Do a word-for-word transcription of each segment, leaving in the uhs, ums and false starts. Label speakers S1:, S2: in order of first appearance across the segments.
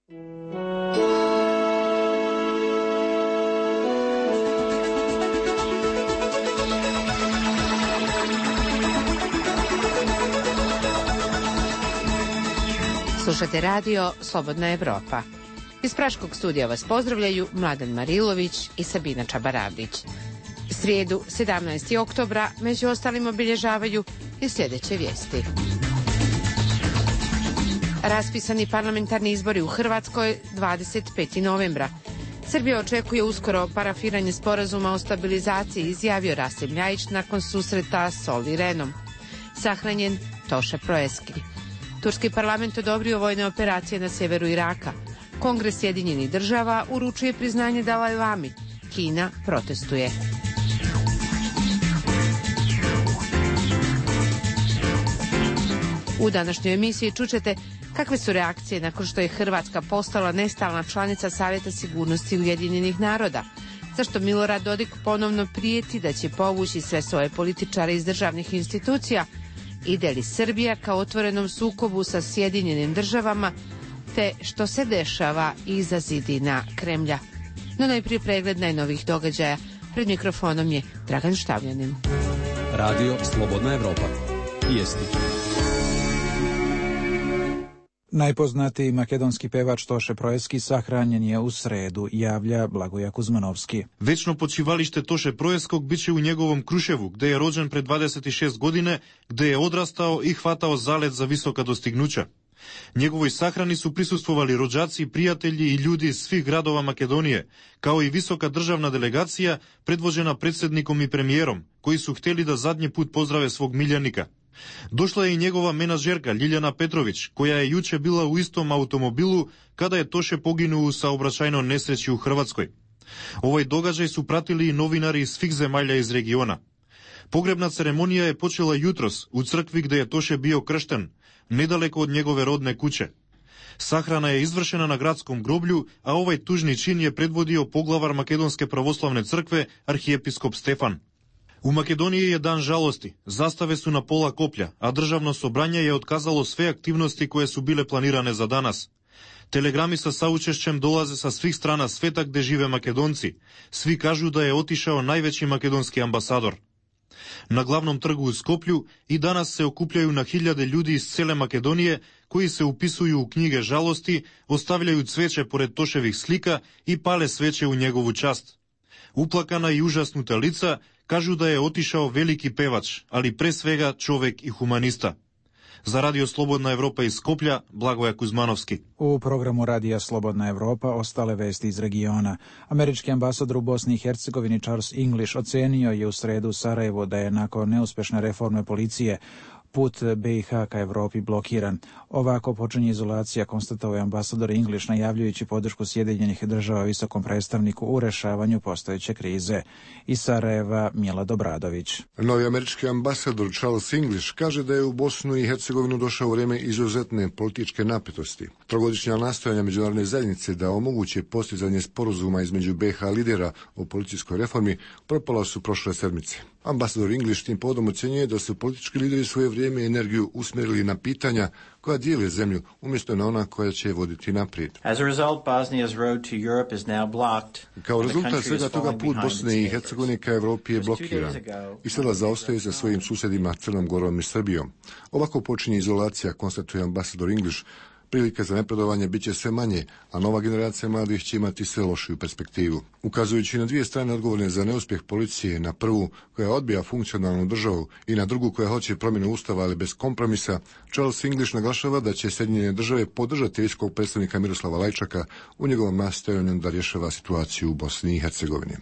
S1: Slušate radio Slobodna Evropa. Iz Praškog studija vas pozdravljaju Mladen Marilović i Sabina Čabaravdić. Srijedu, sedamnaestog oktobra, među ostalim obilježavaju i sljedeće vijesti. Raspisani parlamentarni izbori u Hrvatskoj dvadeset petog novembra. Srbija očekuje uskoro parafiranje sporazuma o stabilizaciji, izjavio Rasim Ljajić nakon susreta s Olli Rehnom. Sahranjen Toše Proeski. Turski parlament odobrio vojne operacije na sjeveru Iraka. Kongres Sjedinjenih država uručuje priznanje Dalaj Lami. Kina protestuje. U današnjoj emisiji čućete kakve su reakcije nakon što je Hrvatska postala nestalna članica Savjeta sigurnosti Ujedinjenih naroda. Zašto Milorad Dodik ponovno prijeti da će povući sve svoje političare iz državnih institucija? Ide li Srbija ka otvorenom sukobu sa Sjedinjenim državama, te što se dešava iza zidina Kremlja? No najprije pregled najnovih događaja. Pred mikrofonom je Dragan Štavljanin.
S2: Radio Slobodna Evropa. Vijesti.
S3: Najpoznatiji makedonski pevač Toše Proeski sahranjen je u sredu, javlja Blagoja Kuzmanovski.
S4: Večno počivalište Toše Proeskog biće u njegovom Kruševu, gde je rođen pre dvadeset šest godine, gde je odrastao i hvatao zalet za visoka dostignuća. Njegovoj sahrani su prisustvovali rođaci, prijatelji i ljudi iz svih gradova Makedonije, kao i visoka državna delegacija predvođena predsjednikom i premijerom, koji su htjeli da zadnji put pozdrave svog miljenika. Došla je i njegova menažerka Ljiljana Petrović, koja je juče bila u istom automobilu kada je Toše poginuo u saobraćajnoj nesreći u Hrvatskoj. Ovaj događaj su pratili i novinari iz svih zemalja iz regiona. Pogrebna ceremonija je počela jutros u crkvi gde je Toše bio kršten, nedaleko od njegove rodne kuće. Sahrana je izvršena na gradskom groblju, a ovaj tužni čin je predvodio poglavar Makedonske pravoslavne crkve, arhijepiskop Stefan. U Makedoniji je dan žalosti, zastave su na pola koplja, a državno sobranje je otkazalo sve aktivnosti koje su bile planirane za danas. Telegrami sa saučešćem dolaze sa svih strana sveta gde žive Makedonci. Svi kažu da je otišao najveći makedonski ambasador. Na glavnom trgu u Skoplju i danas se okupljaju na hiljade ljudi iz cele Makedonije koji se upisuju u knjige žalosti, ostavljaju cveće pored Toševih slika i pale sveće u njegovu čast. Uplakana i užasnuta lica kažu da je otišao veliki pevač, ali pre svega čovek i humanista. Za Radio Slobodna Evropa iz Skoplja, Blagoja Kuzmanovski.
S3: U programu Radija Slobodna Evropa ostale vesti iz regiona. Američki ambasador u Bosni i Hercegovini Charles English ocenio je u sredu Sarajevo da je nakon neuspješne reforme policije put B i H ka Evropi blokiran. Ovako počinje izolacija, konstatovao je ambasador English, najavljujući podršku Sjedinjenih država visokom predstavniku u rešavanju postojeće krize. Iz Sarajeva Mila Dobradović.
S5: Novi američki ambasador Charles English kaže da je u Bosnu i Hercegovinu došao vrijeme izuzetne političke napetosti. Trogodišnja nastojanja međunarodne zajednice da omoguće postizanje sporazuma između B i H lidera o policijskoj reformi propala su prošle sedmice. Ambasador English tim povodom ocjenjuje da su politički lideri svoje vrijeme i energiju usmjerili na pitanja koja dijele zemlju, umjesto na ona koja će voditi naprijed. Kao rezultat svega toga put Bosne i Hercegovine ka Evropi je blokiran i sada zaostaje sa svojim susjedima Crnom Gorom i Srbijom. Ovako počinje izolacija, konstatuje ambasador English. Prilike za napredovanje bit će sve manje, a nova generacija mladih će imati sve lošiju perspektivu. Ukazujući na dvije strane odgovorne za neuspjeh policije, na prvu koja odbija funkcionalnu državu i na drugu koja hoće promjenu ustava ali bez kompromisa, Charles English naglašava da će Sjedinjene države podržati visokog predstavnika Miroslava Lajčaka u njegovom nastojanju da rješava situaciju u Bosni i Hercegovini.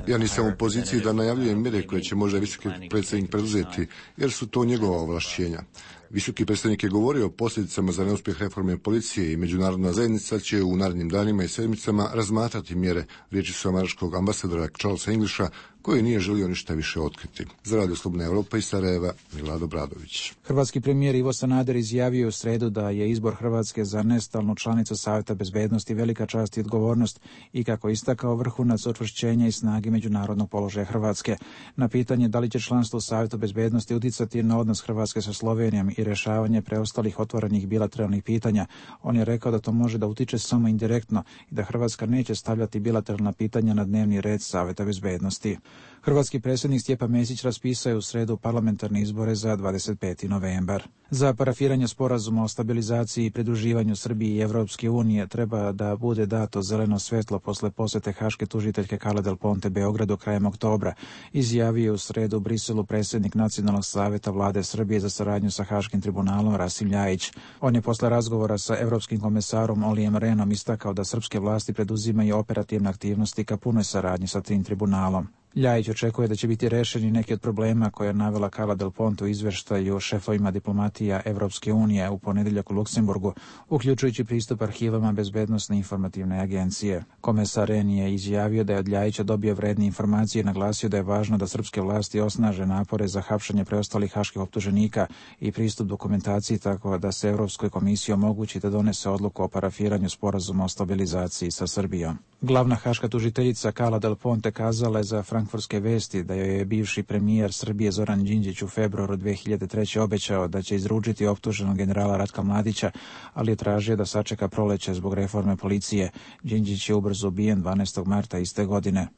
S5: Ja nisam u poziciji da najavljujem mjere koje će možda visoki predsjednik preduzeti, jer su to njegova ovlašćenja. Visoki predstavnik je govorio o posljedicama za neuspjeh reforme policije i međunarodna zajednica će u narednim danima i sedmicama razmatrati mjere, riječi su američkog ambasadora Charlesa Englisha, koji nije želio ništa više otkriti. Za Radio Slobodna Evropa iz Sarajeva, Milado Bradović.
S3: Hrvatski premijer Ivo Sanader izjavio u sredu da je izbor Hrvatske za nestalnu članicu Savjeta bezbednosti velika čast i odgovornost i kako istakao vrhunac učvršćenja i snage međunarodnog položaja Hrvatske. Na pitanje da li će članstvo u Savjetu bezbednosti uticati na odnos Hrvatske sa Slovenijom i rješavanje preostalih otvorenih bilateralnih pitanja, on je rekao da to može da utiče samo indirektno i da Hrvatska neće stavljati bilateralna pitanja na dnevni red Savjeta bezbednosti. Hrvatski predsjednik Stjepan Mesić raspisao je u sredu parlamentarne izbore za dvadeset peti novembar. Za parafiranje sporazuma o stabilizaciji i pridruživanju Srbije i Evropske unije treba da bude dato zeleno svjetlo posle posjete haške tužiteljke Carle Del Ponte Beogradu krajem oktobra, izjavio je u sredu u Briselu predsjednik Nacionalnog savjeta vlade Srbije za saradnju sa Haškim tribunalom Rasim Ljajić. On je posle razgovora sa evropskim komesarom Olijem Rehnom istakao da srpske vlasti preduzimaju operativne aktivnosti ka punoj saradnji sa tim tribunalom. Ljajić očekuje da će biti rešeni neki od problema koje je navela Carla Del Ponte u izveštaju šefovima diplomatija Evropske unije u ponedjeljak u Luksemburgu, uključujući pristup arhivama Bezbednosne informativne agencije. Komesar Rehn je izjavio da je od Ljajića dobio vredne informacije i naglasio da je važno da srpske vlasti osnaže napore za hapšenje preostalih haških optuženika i pristup dokumentaciji tako da se Evropskoj komisiji omogući da donese odluku o parafiranju sporazuma o stabilizaciji sa Srbijom. Glavna haška tužiteljica Carla Del Ponte kazala je za frankfurtske vesti da joj je bivši premijer Srbije Zoran Đinđić u februaru dve hiljade treće. obećao da će izručiti optuženog generala Ratka Mladića, ali je tražio da sačeka proleće zbog reforme policije. Đinđić je ubrzo ubijen dvanaestog marta iste godine.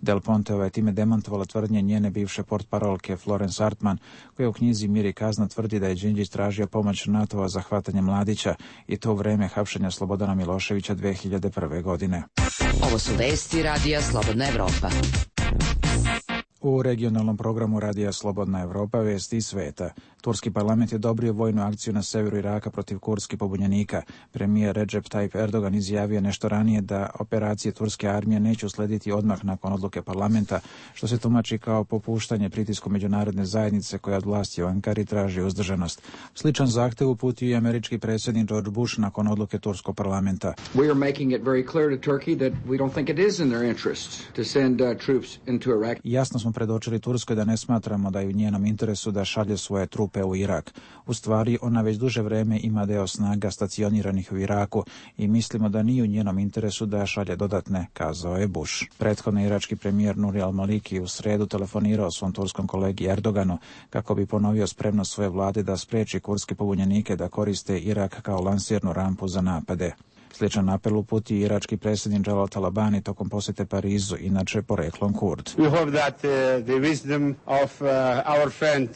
S3: Del Ponteova je time demantovala tvrdnje njene bivše portparolke Florence Hartman, koja u knjizi Mir i kazna tvrdi da je Đinđić tražio pomoć NATO-a za hvatanje Mladića i to u vreme hapšenja Slobodana Miloševića dve hiljade prve. godine.
S6: Ovo su vesti Radija Slobodna Evropa.
S3: U regionalnom programu Radija Slobodna Evropa vesti iz sveta. Turski parlament je odobrio vojnu akciju na severu Iraka protiv kurdskih pobunjenika. Premijer Recep Tayyip Erdogan izjavio nešto ranije da operacije turske armije neće uslediti odmah nakon odluke parlamenta, što se tumači kao popuštanje pritisku međunarodne zajednice koja od vlasti u Ankari traži uzdržanost. Sličan zahtev uputio i američki predsjednik George Bush nakon odluke turskog parlamenta.
S7: We are making it very clear to Turkey that we don't think it is in their interest to send uh, troops into Iraq.
S3: Jasno smo predočili Turskoj da ne smatramo da je u njenom interesu da šalje svoje trupe u Irak. U stvari, ona već duže vreme ima deo snaga stacioniranih u Iraku i mislimo da nije u njenom interesu da šalje dodatne, kazao je Bush. Prethodno irački premijer Nuri al-Maliki u sredu telefonirao svom turskom kolegi Erdoganu kako bi ponovio spremnost svoje vlade da spreči kurdske pobunjenike da koriste Irak kao lansirnu rampu za napade. Sličan apel uputio irački predsjednik Jalal Talabani tokom posjete Parizu, inače poreklom Kurd.
S8: We hope that uh, the wisdom of uh, our friend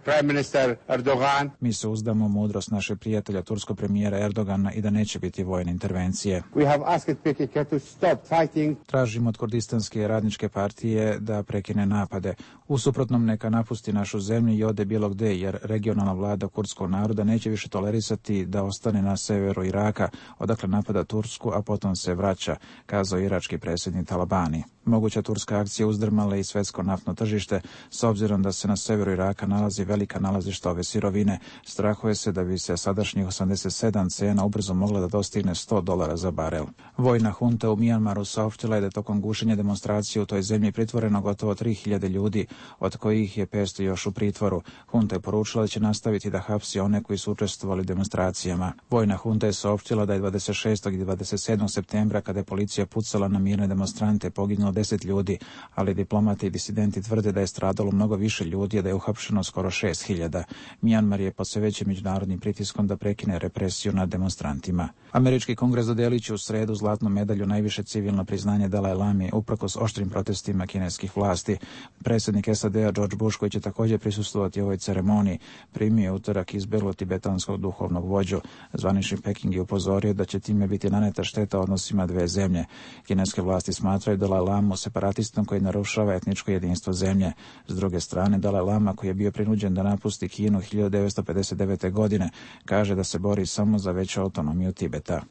S8: Prime Minister Erdogan.
S3: Mi se uzdamo u mudrost našeg prijatelja turskog premijera Erdogana i da neće biti vojne intervencije.
S8: We have asked P K K to stop fighting.
S3: Tražimo od kurdistanske radničke partije da prekine napade. U suprotnom neka napusti našu zemlju i ode bilo gde, jer regionalna vlada kurdskog naroda neće više tolerisati da ostane na severu Iraka, odakle napada Tursku, a potom se vraća, kazao irački predsjednik Talabani. Moguća turska akcija uzdrmala i svetsko naftno tržište, s obzirom da se na severu Iraka nalazi velika nalazišta ove sirovine. Strahuje se da bi se sadašnjih osamdeset sedam cena ubrzo mogla da dostigne sto dolara za barel. Vojna hunta u Mijanmaru saopštila je da tokom gušenja demonstracije u toj zemlji pritvoreno gotovo tri hiljade ljudi, od kojih je petsto još u pritvoru. Hunta je poručila da će nastaviti da hapsi one koji su učestvovali u demonstracijama. Vojna hunta je saopštila da je dvadeset šestog i dvadeset sedmog septembra, kada je policija pucala na mirne demonstrante, poginulo deset ljudi, ali diplomati i disidenti tvrde da je stradalo mnogo više ljudi, a da je uhapšeno skoro šest hiljada. Mijanmar je pod sve većim međunarodnim pritiskom da prekine represiju nad demonstrantima. Američki kongres dodelit će u sredu zlatnu medalju, najviše civilno priznanje Dalaj Lami, uprkos oštrim protestima kineskih vlasti. Predsjednik S A D-a George Bush, koji će također prisustvovati ovoj ceremoniji, primio je utorak izbeglo tibetanskog duhovnog vođu. Zvanični Peking je upozorio da će time biti naneta šteta odnosima dve zemlje. Kineske vlasti smatraju Dalaj Lamu separatistom koji narušava etničko jedinstvo zemlje. S druge strane, Dalaj Lama, koji je bio prinuđen da napusti Kinu hiljadu devetsto pedeset devete. godine, kaže da se bori samo za veću autonomiju Tibeta.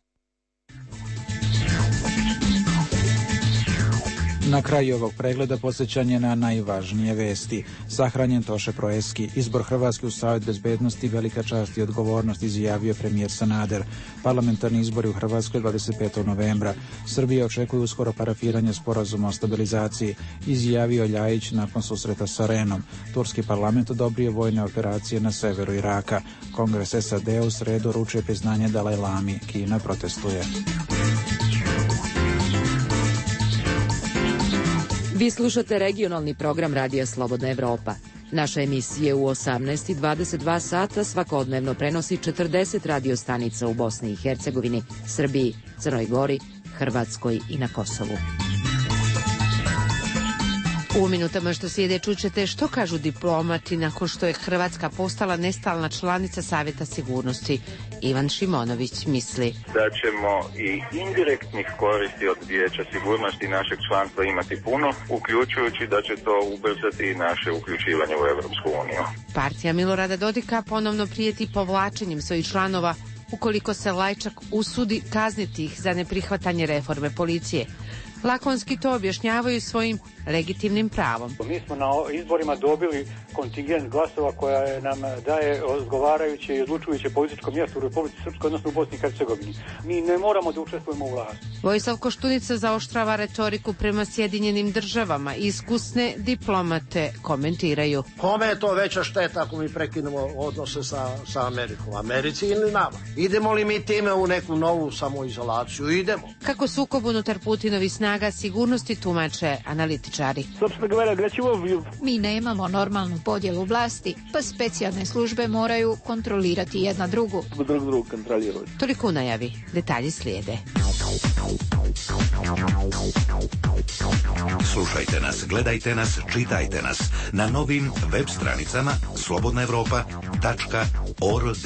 S3: Na kraju ovog pregleda posjećanje na najvažnije vesti. Sahranjen Toše Proeski. Izbor Hrvatske u Savet bezbednosti, velika čast i odgovornost, izjavio premijer Sanader. Parlamentarni izbori u Hrvatskoj dvadeset petog novembra. Srbija očekuje uskoro parafiranje sporazuma o stabilizaciji, izjavio Ljajić nakon susreta sa Renom. Turski parlament odobrio vojne operacije na severu Iraka. Kongres S A D u sredu uručuje priznanje Dalaj Lami. Kina protestuje.
S6: Vi slušate regionalni program Radija Slobodna Evropa. Naša emisija u osamnaest i dvadeset dva sata svakodnevno prenosi četrdeset radio stanica u Bosni i Hercegovini, Srbiji, Crnoj Gori, Hrvatskoj i na Kosovu.
S1: U minutama što slijede čućete što kažu diplomati nakon što je Hrvatska postala nestalna članica Savjeta sigurnosti. Ivan Šimonović misli
S9: da ćemo i indirektnih koristi od Vijeća sigurnosti našeg članstva imati puno, uključujući da će to ubrzati i naše uključivanje u Europsku uniju.
S1: Partija Milorada Dodika ponovno prijeti povlačenjem svojih članova ukoliko se Lajčak usudi kazniti ih za neprihvatanje reforme policije. Lakonski to objašnjavaju svojim legitimnim pravom.
S10: Mi smo na izborima dobili kontingent glasova koja nam daje odgovarajuće i odlučujuće političko mjesto u Republici Srpskoj, odnosno u Bosni i Hercegovini. Mi ne moramo da učestvujemo u vlasti.
S1: Vojislav Koštunica zaoštrava retoriku prema Sjedinjenim državama. Iskusne diplomate komentiraju.
S11: Kome je to veća šteta ako mi prekinemo odnose sa, sa Amerikom? Americi ili nama? Idemo li mi time u neku novu samoizolaciju? Idemo.
S1: Kako sukob unutar Putinovi snaga sigurnosti tumače analitičari.
S12: Mi nemamo normalnu podjelu vlasti, pa specijalne službe moraju kontrolirati jedna drugu.
S13: Drug drug kontroliraju.
S1: Toliko u najavi. Detalji slijede.
S14: Slušajte nas, gledajte nas, čitajte nas na novim web stranicama slobodna evropa tačka org.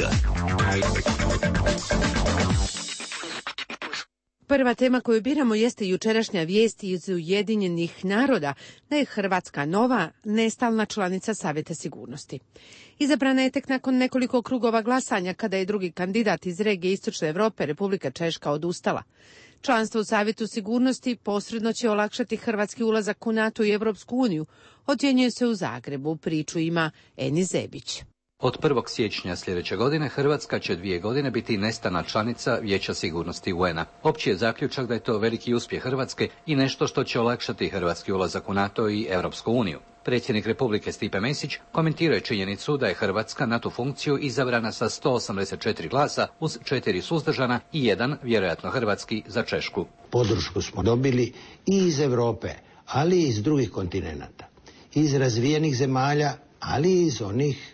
S1: Prva tema koju biramo jeste jučerašnja vijest iz Ujedinjenih naroda da je Hrvatska nova nestalna članica Savjeta sigurnosti. Izabrana je tek nakon nekoliko krugova glasanja kada je drugi kandidat iz regije Istočne Europe, Republika Češka, odustala. Članstvo u Savjetu sigurnosti posredno će olakšati hrvatski ulazak u NATO i Europsku uniju, ocjenjuje se u Zagrebu. Priču ima Eni Zebić.
S15: Od prvog siječnja sljedeće godine Hrvatska će dvije godine biti nestalna članica Vijeća sigurnosti U N A. Opći je zaključak da je to veliki uspjeh Hrvatske i nešto što će olakšati hrvatski ulazak u NATO i Europsku uniju. Predsjednik Republike Stipe Mesić komentirao je činjenicu da je Hrvatska na tu funkciju izabrana sa sto osamdeset četiri glasa uz četiri suzdržana i jedan, vjerojatno hrvatski, za Češku.
S16: Podršku smo dobili i iz Europe, ali i iz drugih kontinenata. Iz razvijenih zemalja, ali i iz onih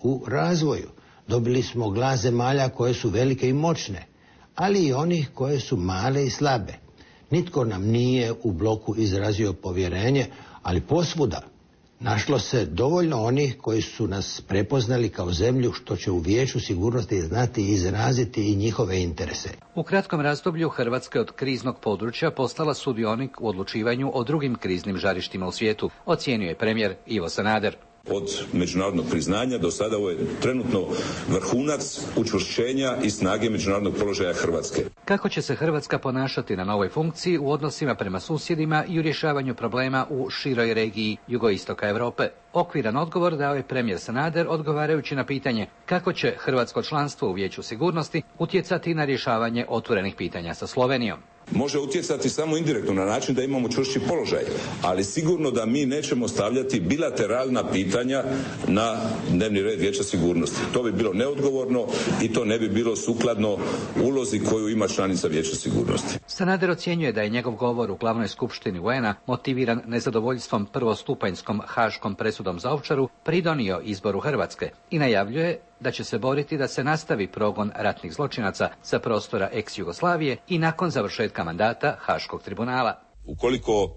S16: u razvoju. Dobili smo glas zemalja koje su velike i moćne, ali i onih koje su male i slabe. Nitko nam nije u bloku izrazio povjerenje, ali posvuda našlo se dovoljno onih koji su nas prepoznali kao zemlju što će u Vijeću sigurnosti znati izraziti i njihove interese.
S15: U kratkom razdoblju Hrvatska je od kriznog područja postala sudionik u odlučivanju o drugim kriznim žarištima u svijetu, ocijenio je premijer Ivo Sanader.
S17: Od međunarodnog priznanja do sada ovo je trenutno vrhunac učvršćenja i snage međunarodnog položaja Hrvatske.
S15: Kako će se Hrvatska ponašati na novoj funkciji u odnosima prema susjedima i u rješavanju problema u široj regiji jugoistoka Europe? Okviran odgovor dao je premijer Sanader odgovarajući na pitanje kako će hrvatsko članstvo u Vijeću sigurnosti utjecati na rješavanje otvorenih pitanja sa Slovenijom.
S17: Može utjecati samo indirektno na način da imamo čvršći položaj, ali sigurno da mi nećemo stavljati bilateralna pitanja na dnevni red Vijeća sigurnosti. To bi bilo neodgovorno i to ne bi bilo sukladno ulozi koju ima članica Vijeća sigurnosti.
S15: Sanader ocjenjuje da je njegov govor u glavnoj skupštini U N A motiviran nezadovoljstvom prvostupanjskom haškom presudom za Ovčaru pridonio izboru Hrvatske i najavljuje da će se boriti da se nastavi progon ratnih zločinaca sa prostora ex-Jugoslavije i nakon završetka mandata Haškog tribunala.
S17: Ukoliko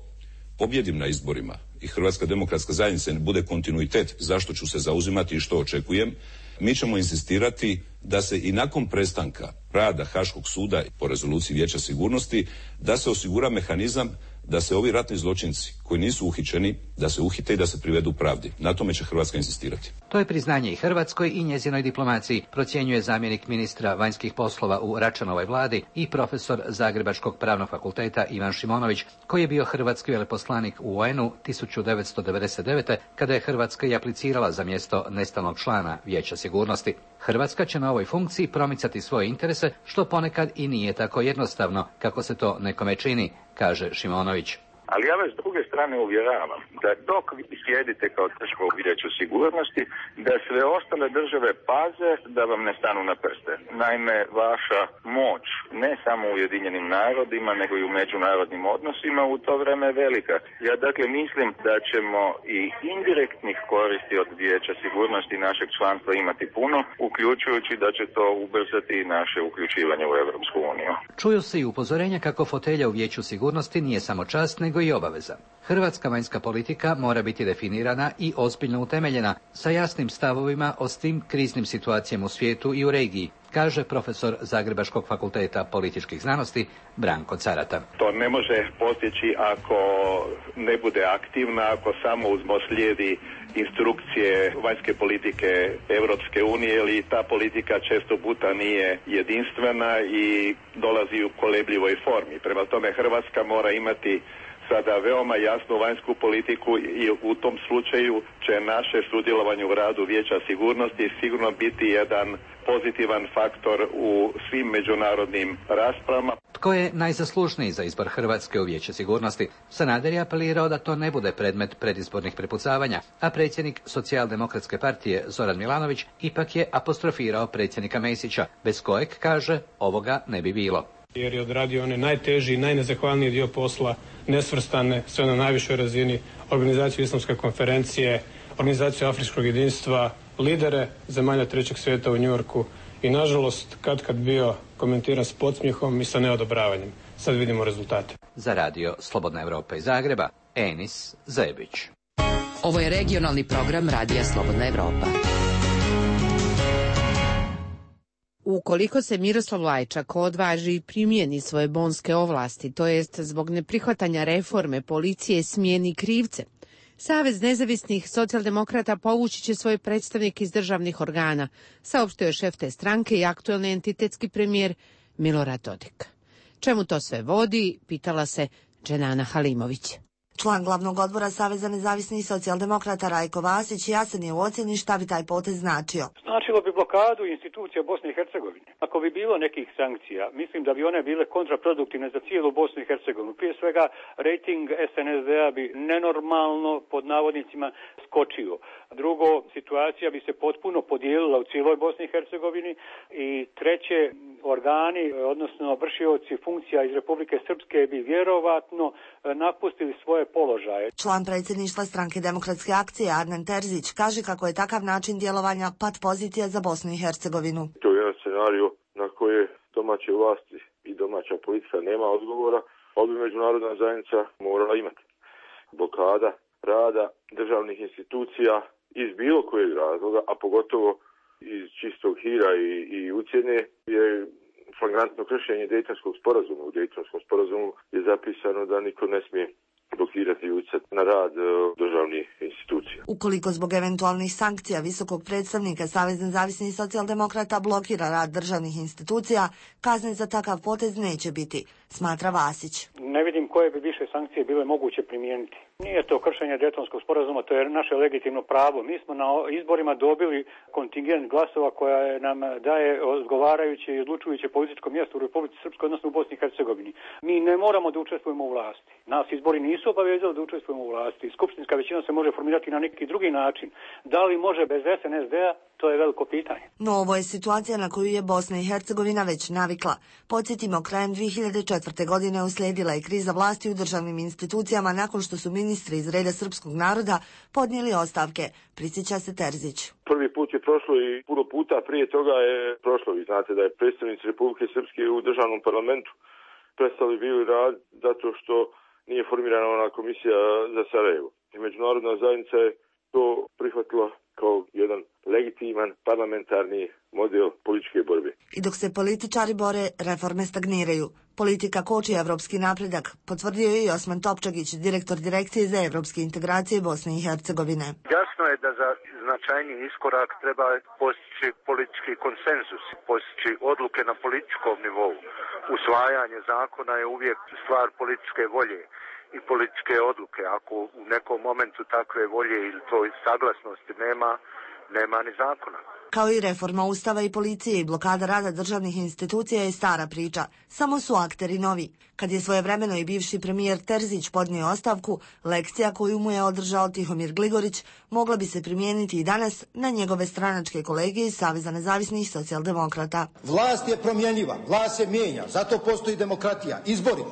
S17: pobjedim na izborima i Hrvatska demokratska zajednica ne bude kontinuitet, zašto ću se zauzimati i što očekujem, mi ćemo insistirati da se i nakon prestanka rada Haškog suda po rezoluciji Vijeća sigurnosti, da se osigura mehanizam da se ovi ratni zločinci koji nisu uhićeni, da se uhite i da se privedu pravdi. Na tome će Hrvatska insistirati.
S15: To je priznanje i Hrvatskoj i njezinoj diplomaciji, procjenjuje zamjenik ministra vanjskih poslova u Račanovoj vladi i profesor Zagrebačkog pravnog fakulteta Ivan Šimonović, koji je bio hrvatski veleposlanik u O N U tisuću devetsto devedeset devete. kada je Hrvatska i aplicirala za mjesto nestalnog člana Vijeća sigurnosti. Hrvatska će na ovoj funkciji promicati svoje interese, što ponekad i nije tako jednostavno, kako se to nekome čini, kaže Šimonović.
S9: Ali ja vas s druge strane uvjeravam da dok vi sjedite kao država u Vijeću sigurnosti, da sve ostale države paze da vam ne stanu na prste. Naime, vaša moć, ne samo u Ujedinjenim narodima, nego i u međunarodnim odnosima u to vrijeme je velika. Ja dakle mislim da ćemo i indirektnih koristi od Vijeća sigurnosti našeg članstva imati puno, uključujući da će to ubrzati i naše uključivanje u Europsku uniju.
S15: Čuju se i upozorenja kako fotelja u Vijeću sigurnosti nije samo čast, nego i obaveza. Hrvatska vanjska politika mora biti definirana i ozbiljno utemeljena, sa jasnim stavovima o svim kriznim situacijama u svijetu i u regiji, kaže profesor Zagrebačkog fakulteta političkih znanosti Branko Carata.
S13: To ne može postići ako ne bude aktivna, ako samo uzmo slijedi instrukcije vanjske politike Europske unije, ili ta politika često puta nije jedinstvena i dolazi u kolebljivoj formi. Prema tome Hrvatska mora imati sada veoma jasnu vanjsku politiku i u tom slučaju će naše sudjelovanje u radu Vijeća sigurnosti sigurno biti jedan pozitivan faktor u svim međunarodnim raspravama.
S15: Tko je najzaslužniji za izbor Hrvatske u Vijeće sigurnosti? Sanader je apelirao da to ne bude predmet predizbornih prepucavanja, a predsjednik Socijaldemokratske partije Zoran Milanović ipak je apostrofirao predsjednika Mesića, bez kojeg, kaže, ovoga ne bi bilo.
S18: Jer je odradio onaj najteži i najnezahvalniji dio posla, nesvrstane, sve na najvišoj razini, organizaciju Islamske konferencije, organizaciju Afričkog jedinstva, lidere zemalja trećeg svijeta u Njujorku i nažalost kad kad bio komentiran s podsmjehom i sa neodobravanjem. Sad vidimo rezultate.
S15: Za radio Slobodna Evropa iz Zagreba, Enis Zebić.
S6: Ovo je regionalni program Radija Slobodna Evropa.
S1: Ukoliko se Miroslav Lajčak odvaži i primjeni svoje bonske ovlasti, to jest zbog neprihvatanja reforme policije smijeni krivce, Savez nezavisnih socijaldemokrata povući će svoje predstavnike iz državnih organa, saopštio je šef te stranke i aktuelni entitetski premijer Milorad Dodik. Čemu to sve vodi, pitala se Dženana Halimović.
S19: Član glavnog odbora Saveza nezavisnih socijaldemokrata Rajko Vasić jasan je u ocjeni šta bi taj potez značio.
S10: Značilo bi blokadu institucija Bosne i Hercegovine. Ako bi bilo nekih sankcija, mislim da bi one bile kontraproduktivne za cijelu Bosnu i Hercegovinu. Prije svega, rejting S N S D-a bi nenormalno, pod navodnicima, skočio. Drugo, situacija bi se potpuno podijelila u cijeloj Bosni i Hercegovini. I treće, organi, odnosno vršioci funkcija iz Republike Srpske bi vjerovatno napustili svoje položaje.
S19: Član predsjedništva stranke Demokratske akcije Adnan Terzić kaže kako je takav način djelovanja pat pozicija za Bosnu i Hercegovinu.
S20: To je jedan scenarij na koje domaće vlasti i domaća politika nema odgovora, ali bi međunarodna zajednica morala imati. Blokada rada državnih institucija iz bilo kojeg razloga, a pogotovo iz čistog hira i, i ucjene, je flagrantno kršenje Dejtonskog sporazuma. U Dejtonskom sporazumu je zapisano da niko ne smije blokirati i utjecati na rad državnih institucija.
S19: Ukoliko zbog eventualnih sankcija visokog predstavnika Savez nezavisnih socijaldemokrata blokira rad državnih institucija, kazne za takav potez neće biti, smatra Vasić.
S10: Ne vidim koje bi više sankcije bile moguće primijeniti. Nije to kršenje Dejtonskog sporazuma, to je naše legitimno pravo. Mi smo na izborima dobili kontingent glasova koja nam daje odgovarajuće i odlučujuće političko mjesto u Republici Srpskoj, odnosno u Bosni i Hercegovini. Mi ne moramo da učestvujemo u vlasti. Nas izbori nisu obavezali da učestvujemo u vlasti. Skupštinska većina se može formirati na neki drugi način. Da li može bez S N S D-a? To je veliko pitanje.
S19: No ovo je situacija na koju je Bosna i Hercegovina već navikla. Podsjetimo, krajem dvije hiljade četvrte. godine uslijedila je kriza vlasti u državnim institucijama nakon što su ministri iz reda srpskog naroda podnijeli ostavke, prisjeća se Terzić.
S20: Prvi put je prošlo i puno puta prije toga je prošlo. Vi znate da je predstavnici Republike Srpske u državnom parlamentu prestali bili rad zato što nije formirana ona komisija za Sarajevo. I međunarodna zajednica je to prihvatila kao jedan legitiman parlamentarni model političke borbe.
S19: I dok se političari bore, reforme stagniraju. Politika koči evropski napredak, potvrdio je i Osman Topčagić, direktor Direkcije za evropske integracije Bosne i Hercegovine.
S21: Jasno je da za značajniji iskorak treba postići politički konsenzus, postići odluke na političkom nivou. Usvajanje zakona je uvijek stvar političke volje i političke odluke. Ako u nekom momentu takve volje ili toj saglasnosti nema, nema ni zakona.
S19: Kao i reforma Ustava i policije i blokada rada državnih institucija je stara priča, samo su akteri novi. Kad je svojevremeno i bivši premijer Terzić podnio ostavku, lekcija koju mu je održao Tihomir Gligorić mogla bi se primijeniti i danas na njegove stranačke kolege iz Saveza nezavisnih socijaldemokrata.
S22: Vlast je promjenjiva, vlast se mijenja, zato postoji demokratija, izbori.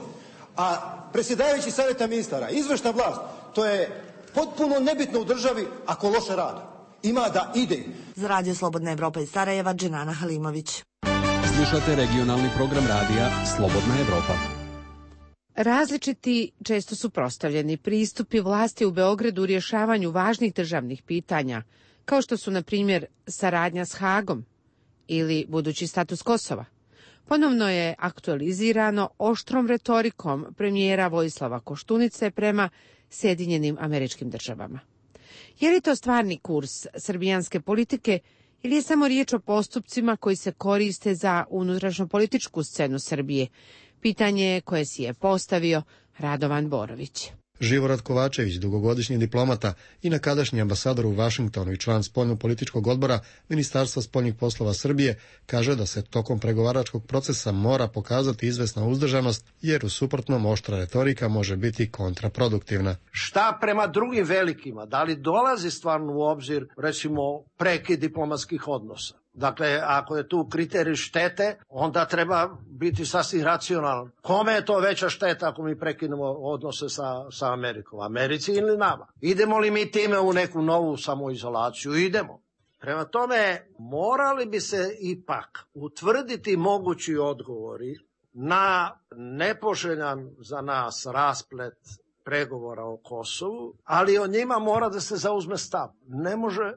S22: A predsjedavajući savjeta ministara, izvršna vlast, to je potpuno nebitno u državi ako loše rade. Ima da ide.
S19: Za Radio Slobodna Evropa iz Sarajeva, Dženana Halimović.
S2: Slušate regionalni program radija Slobodna Evropa.
S1: Različiti, često suprotstavljeni pristupi vlasti u Beogradu u rješavanju važnih državnih pitanja, kao što su, na primjer, saradnja s Hagom ili budući status Kosova, ponovno je aktualizirano oštrom retorikom premijera Vojislava Koštunice prema Sjedinjenim Američkim Državama. Je li to stvarni kurs srbijanske politike ili je samo riječ o postupcima koji se koriste za unutrašnjopolitičku scenu Srbije? Pitanje koje si je postavio Radovan Borović.
S23: Živorad Kovačević, dugogodišnji diplomata i nekadašnji ambasador u Vašingtonu i član spoljnopolitičkog odbora Ministarstva spoljnih poslova Srbije, kaže da se tokom pregovaračkog procesa mora pokazati izvesna uzdržanost, jer u suprotnom oštra retorika može biti kontraproduktivna.
S11: Šta prema drugim velikima? Da li dolazi stvarno u obzir, recimo, prekid diplomatskih odnosa? Dakle, ako je tu kriterij štete, onda treba biti sasvim racionalan. Kome je to veća šteta ako mi prekinemo odnose sa, sa Amerikom? Americi ili nama? Idemo li mi time u neku novu samoizolaciju? Idemo. Prema tome, morali bi se ipak utvrditi mogući odgovori na nepoželjan za nas rasplet pregovora o Kosovu, ali o njima mora da se zauzme stav. Ne može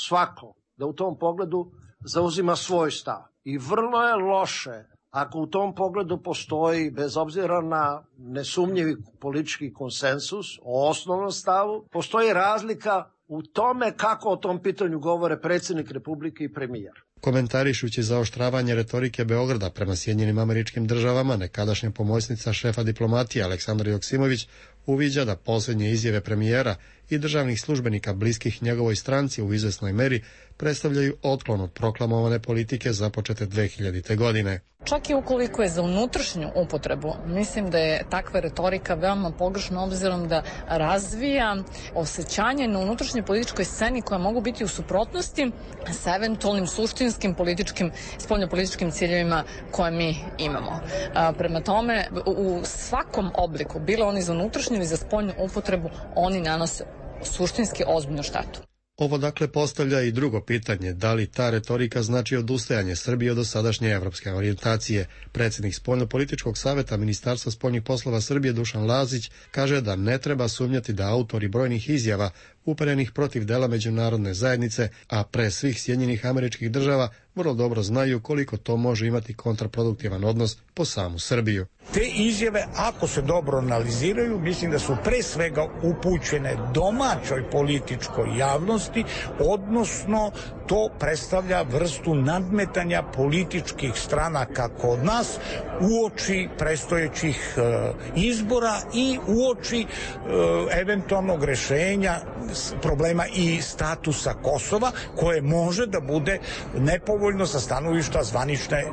S11: svako da u tom pogledu zauzima svoj stav. I vrlo je loše ako u tom pogledu postoji, bez obzira na nesumnjivi politički konsensus o osnovnom stavu, postoji razlika u tome kako o tom pitanju govore predsjednik Republike i premijer.
S23: Komentarišući zaoštravanje retorike Beograda prema Sjedinjenim Američkim Državama, nekadašnja pomoćnica šefa diplomatije Aleksandra Joksimović uviđa da posljednje izjave premijera i državnih službenika bliskih njegovoj stranci u izvesnoj meri predstavljaju otklon od proklamovane politike započete dve hiljadite. godine.
S24: Čak i ukoliko je za unutrašnju upotrebu, mislim da je takva retorika veoma pogrešna obzirom da razvija osjećanje na unutrašnjoj političkoj sceni koja mogu biti u suprotnosti sa eventualnim suštinskim političkim, spoljnopolitičkim ciljevima koje mi imamo. A, prema tome, u svakom obliku, bilo oni za unutrašnju ili za spoljnu upotrebu, oni nanose suštinski ozbiljnu štetu.
S23: Ovo dakle postavlja i drugo pitanje, da li ta retorika znači odustajanje Srbije od dosadašnje evropske orijentacije. Predsjednik spoljnopolitičkog savjeta Ministarstva spoljnih poslova Srbije Dušan Lazić kaže da ne treba sumnjati da autori brojnih izjava uperenih protiv dela međunarodne zajednice, a pre svih Sjedinjenih Američkih Država, vrlo dobro znaju koliko to može imati kontraproduktivan odnos po samu Srbiju.
S25: Te izjave, ako se dobro analiziraju, mislim da su pre svega upućene domaćoj političkoj javnosti, odnosno to predstavlja vrstu nadmetanja političkih stranaka kod nas uoči predstojećih e, izbora i uoči e, eventualnog rešenja problema i statusa Kosova, koje može da bude nepovoljno sa stanovišta zvanične e,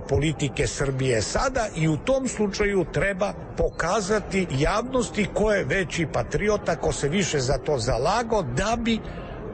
S25: politike Srbije sada, i u tom slučaju treba pokazati javnosti ko je veći patriota, ko se više za to zalagao, da bi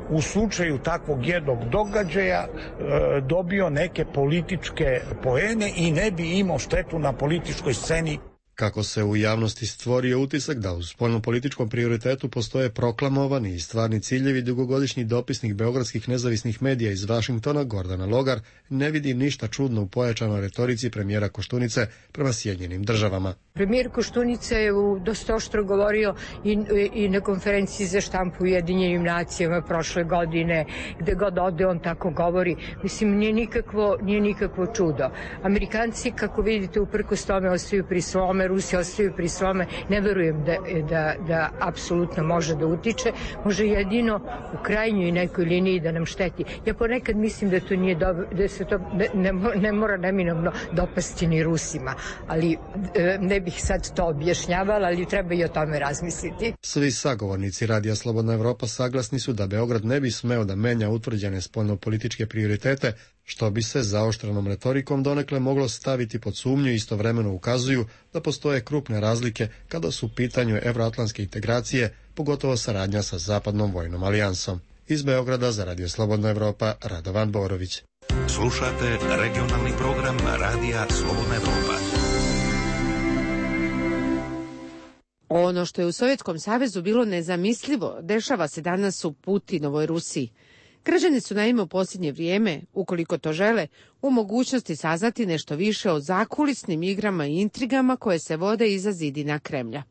S25: u slučaju takvog jednog događaja e, dobio neke političke poene i ne bi imao štetu na političkoj sceni.
S23: kako se u javnosti stvorio utisak da u spoljnopolitičkom prioritetu postoje proklamovani i stvarni ciljevi, dugogodišnji dopisnik beogradskih nezavisnih medija iz Vašingtona Gordana Logar ne vidi ništa čudno u pojačanoj retorici premijera Koštunice prema Sjedinjenim državama.
S3: Premijer Koštunica je u dosta oštro govorio i, i na konferenciji za štampu u Ujedinjenim nacijama prošle godine, gde god ode on tako govori. Mislim, nije nikakvo, nije nikakvo čudo. Amerikanci, kako vidite, uprkos tome ostaju pri svome, Rusi ostaju pri svome. Ne verujem da, da, da apsolutno može da utiče. Može jedino u krajnjoj nekoj liniji da nam šteti. Ja ponekad mislim da to nije dobro, da se to ne, ne, ne mora neminovno dopasti ni Rusima, ali ne bih sad to objašnjavala, ali treba i o tome razmisliti.
S23: Svi sagovornici Radija Slobodna Evropa saglasni su da Beograd ne bi smeo da menja utvrđene spoljnopolitičke prioritete, što bi se zaoštrenom retorikom donekle moglo staviti pod sumnju i istovremeno ukazuju da postoje krupne razlike kada su u pitanju evroatlantske integracije, pogotovo saradnja sa Zapadnom vojnom alijansom. Iz Beograda za Radio Slobodna Evropa, Radovan Borović.
S14: Slušate regionalni program Radija Slobodna Evropa.
S1: Ono što je u Sovjetskom savezu bilo nezamislivo, dešava se danas u Putinovoj Rusiji. Građani su naime u posljednje vrijeme, ukoliko to žele, u mogućnosti saznati nešto više o zakulisnim igrama i intrigama koje se vode iza zidina Kremlja.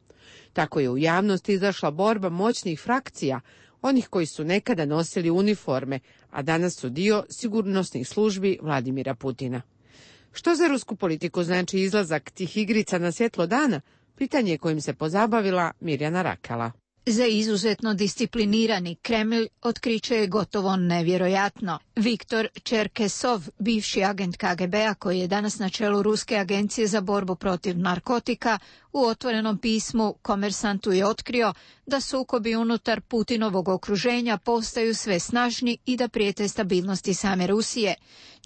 S1: Tako je u javnosti izašla borba moćnih frakcija, onih koji su nekada nosili uniforme, a danas su dio sigurnosnih službi Vladimira Putina. Što za rusku politiku znači izlazak tih igrica na svjetlo dana? Pitanje kojim se pozabavila Mirjana Rakala.
S12: Za izuzetno disciplinirani Kremlj otkriće je gotovo nevjerojatno. Viktor Čerkesov, bivši agent K G B-a koji je danas na čelu Ruske agencije za borbu protiv narkotika, u otvorenom pismu Komersantu je otkrio da sukobi unutar Putinovog okruženja postaju sve snažni i da prijete stabilnosti same Rusije.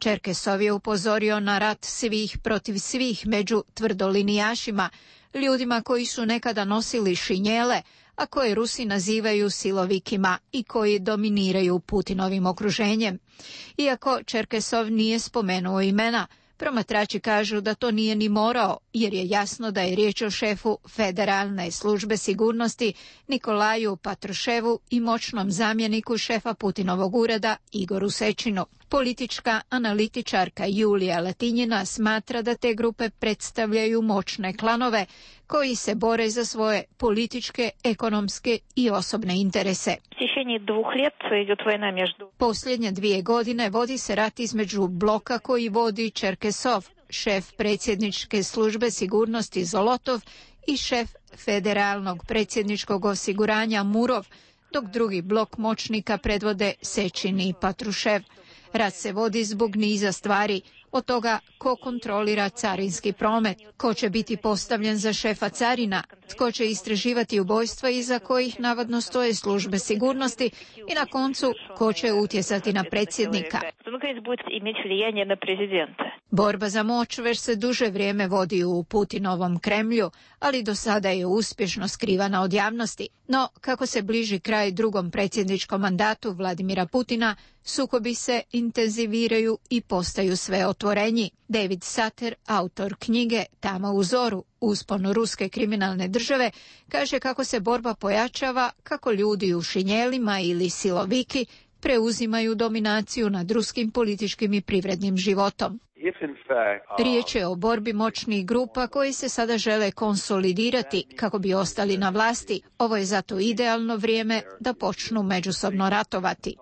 S12: Čerkesov je upozorio na rat svih protiv svih među tvrdolinijašima, ljudima koji su nekada nosili šinjele, a koje Rusi nazivaju silovikima i koji dominiraju Putinovim okruženjem. Iako Čerkesov nije spomenuo imena, promatrači kažu da to nije ni morao, jer je jasno da je riječ o šefu Federalne službe sigurnosti Nikolaju Patruševu i moćnom zamjeniku šefa Putinovog ureda Igoru Sečinu. Politička analitičarka Julija Latinjina smatra da te grupe predstavljaju moćne klanove koji se bore za svoje političke, ekonomske i osobne interese. Posljednje dvije godine vodi se rat između bloka koji vodi Čerkesov, šef predsjedničke službe sigurnosti Zolotov i šef federalnog predsjedničkog osiguranja Murov, dok drugi blok moćnika predvode Sečin i Patrušev. Rat se vodi zbog niza stvari, od toga ko kontrolira carinski promet, ko će biti postavljen za šefa carina, tko će istraživati ubojstva iza kojih navodno stoje službe sigurnosti i na koncu ko će utjecati na predsjednika. Borba za moć već se duže vrijeme vodi u Putinovom Kremlju, ali do sada je uspješno skrivana od javnosti. No, kako se bliži kraj drugom predsjedničkom mandatu Vladimira Putina, sukobi se intenziviraju i postaju sve otvorenji. David Sater, autor knjige Tama u zoru, uspon ruske kriminalne države, kaže kako se borba pojačava, kako ljudi u šinjelima ili siloviki preuzimaju dominaciju nad ruskim političkim i privrednim životom. Riječ je o borbi moćnih grupa koji se sada žele konsolidirati kako bi ostali na vlasti. Ovo je zato idealno vrijeme da počnu međusobno ratovati.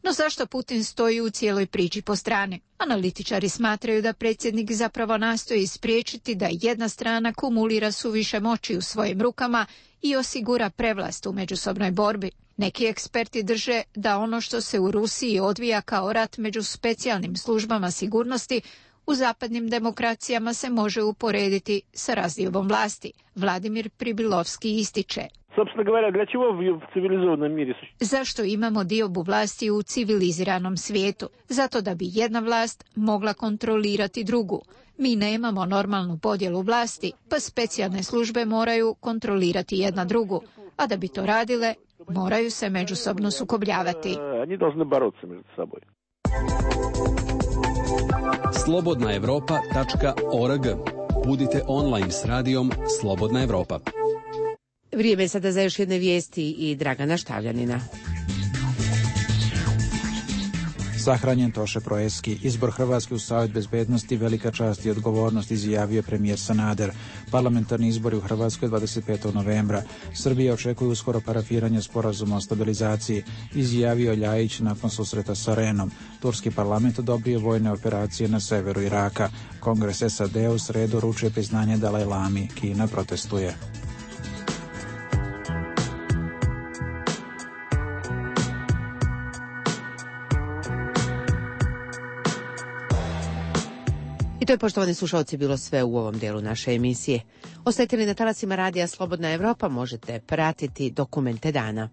S12: No zašto Putin stoji u cijeloj priči po strani? Analitičari smatraju da predsjednik zapravo nastoji spriječiti da jedna strana kumulira suviše moći u svojim rukama i osigura prevlast u međusobnoj borbi. Neki eksperti drže da ono što se u Rusiji odvija kao rat među specijalnim službama sigurnosti u zapadnim demokracijama se može uporediti sa razdiobom vlasti. Vladimir Pribilovski ističe. Zašto imamo diobu vlasti u civiliziranom svijetu? Zato da bi jedna vlast mogla kontrolirati drugu. Mi nemamo normalnu podjelu vlasti, pa specijalne službe moraju kontrolirati jedna drugu, a da bi to radile, moraju se međusobno sukobljavati.
S2: slobodna evropa tačka org. Budite online s radijom Slobodna Evropa.
S1: Vrijeme je sada za još jedne vijesti i Dragana Štavljanina.
S4: Sahranjen Toše Proeski. Izbor Hrvatske u Savet bezbednosti velika čast i odgovornost, izjavio premijer Sanader. Parlamentarni izbori u Hrvatskoj dvadeset petog novembra. Srbija očekuje uskoro parafiranje sporazuma o stabilizaciji, izjavio Ljajić nakon susreta sa Renom. Turski parlament odobrio vojne operacije na severu Iraka. Kongres S A D u sredu uručuje priznanje Dalaj Lami. Kina protestuje.
S1: I to je, poštovani slušalci, bilo sve u ovom delu naše emisije. Ostajte li na talasima radija Slobodna Evropa, možete pratiti dokumente dana.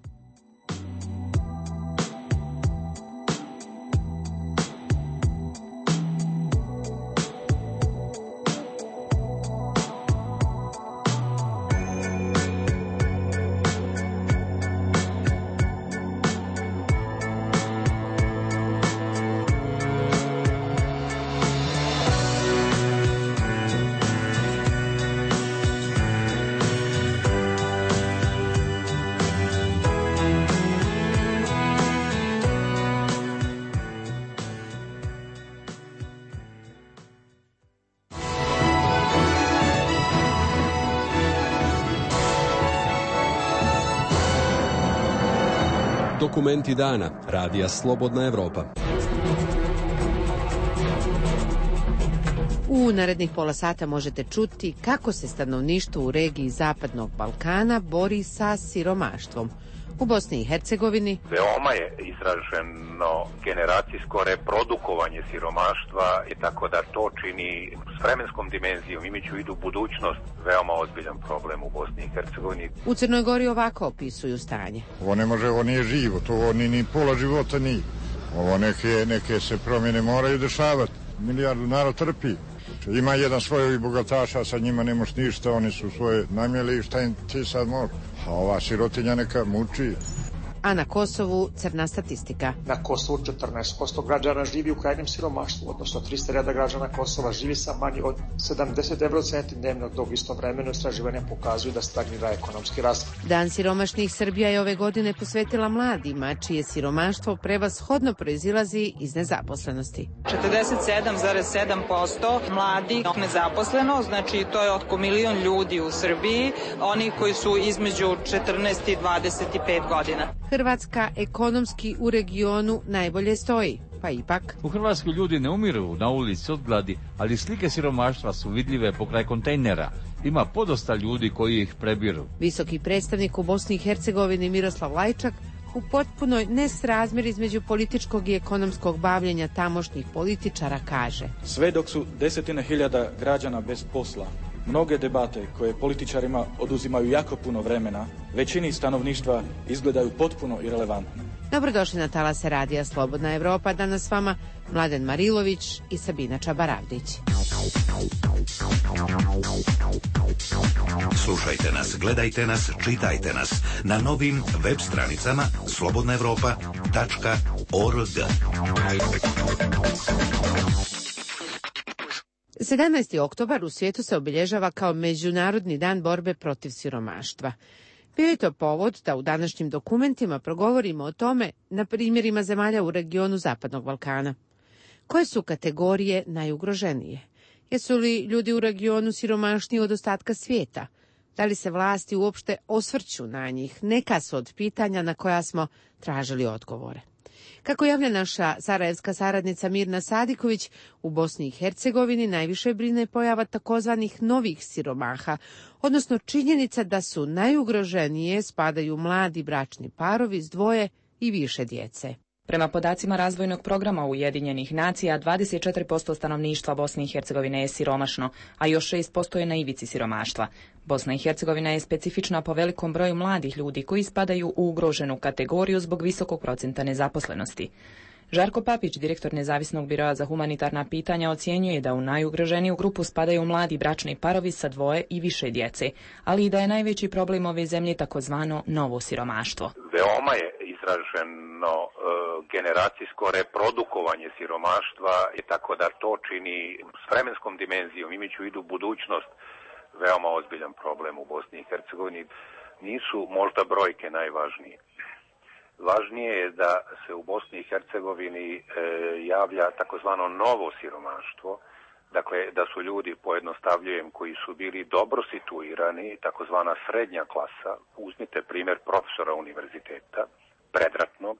S2: Dokumenti dana radija Slobodna Evropa.
S1: U narednih pola sata možete čuti kako se stanovništvo u regiji Zapadnog Balkana bori sa siromaštvom. U Bosni i Hercegovini
S5: veoma je izraženo generacijsko reprodukovanje siromaštva i tako da to čini s vremenskom dimenzijom, imajući u vidu budućnost, veoma ozbiljan problem u Bosni i Hercegovini.
S1: U Crnoj Gori ovako opisuju stanje.
S7: Ovo ne može, ovo nije život, ovo ni, ni pola života nije. Ovo neke, neke se promjene moraju dešavati. Milijardu narod trpi. Ima jedan svojih bogataša, sa njima ne moš ništa, oni su svoje namjeli i šta im ti sad može. A ova sirotinja neka muči.
S1: A na Kosovu crna statistika.
S8: Na Kosovu četrnaest posto građana živi u krajnjem siromaštvu, odnosno tristo hiljada građana Kosova živi sa manje od sedamdeset evrocenti dnevno, dok istovremeno istraživanja pokazuju da stagnira ekonomski rast.
S1: Dan siromašnih Srbija je ove godine posvetila mladima, čije siromaštvo prevashodno proizilazi iz nezaposlenosti.
S16: četrdeset sedam zarez sedam posto mladi nezaposleno, znači to je oko milion ljudi u Srbiji, oni koji su između četrnaest i dvadeset pet godina.
S1: Hrvatska ekonomski u regionu najbolje stoji, pa ipak.
S26: U Hrvatskoj ljudi ne umiru na ulici od gladi, ali slike siromaštva su vidljive pokraj kontejnera. Ima podosta ljudi koji ih prebiru.
S1: Visoki predstavnik u Bosni i Hercegovini Miroslav Lajčak u potpunoj nesrazmjer između političkog i ekonomskog bavljenja tamošnjih političara kaže:
S27: sve dok su desetine hiljada građana bez posla, mnoge debate koje političarima oduzimaju jako puno vremena, većini stanovništva izgledaju potpuno irelevantne.
S1: Dobrodošli na talase radija Slobodna Evropa. Danas s vama Mladen Marilović i Sabina Čabaravdić.
S14: Slušajte nas, gledajte nas, čitajte nas na novim web stranicama slobodna evropa tačka org.
S1: sedamnaesti oktobar u svijetu se obilježava kao Međunarodni dan borbe protiv siromaštva. Bio je to povod da u današnjim dokumentima progovorimo o tome na primjerima zemalja u regionu Zapadnog Balkana. Koje su kategorije najugroženije? Jesu li ljudi u regionu siromašniji od ostatka svijeta? Da li se vlasti uopšte osvrću na njih? Neka su od pitanja na koja smo tražili odgovore. Kako javlja naša sarajevska saradnica Mirna Sadiković, u Bosni i Hercegovini najviše brine pojava takozvanih novih siromaha, odnosno činjenica da su najugroženije spadaju mladi bračni parovi s dvoje i više djece.
S28: Prema podacima razvojnog programa Ujedinjenih nacija, dvadeset četiri posto stanovništva Bosne i Hercegovine je siromašno, a još šest posto je na ivici siromaštva. Bosna i Hercegovina je specifična po velikom broju mladih ljudi koji spadaju u ugroženu kategoriju zbog visokog procenta nezaposlenosti. Žarko Papić, direktor Nezavisnog biroa za humanitarna pitanja, ocjenjuje da u najugroženiju grupu spadaju mladi bračni parovi sa dvoje i više djece, ali i da je najveći problem ove zemlje takozvano novo siromaštvo.
S5: Veoma je izraženo e, generacijsko reprodukovanje siromaštva i tako da to čini s vremenskom dimenzijom, imajući u vidu budućnost, veoma ozbiljan problem u Bosni i Hercegovini. Nisu možda brojke najvažnije. Važnije je da se u Bosni i Hercegovini e, javlja takozvano novo siromaštvo, dakle da su ljudi, pojednostavljujem, koji su bili dobro situirani, takozvana srednja klasa. Uzmite primjer profesora univerziteta, predratnog,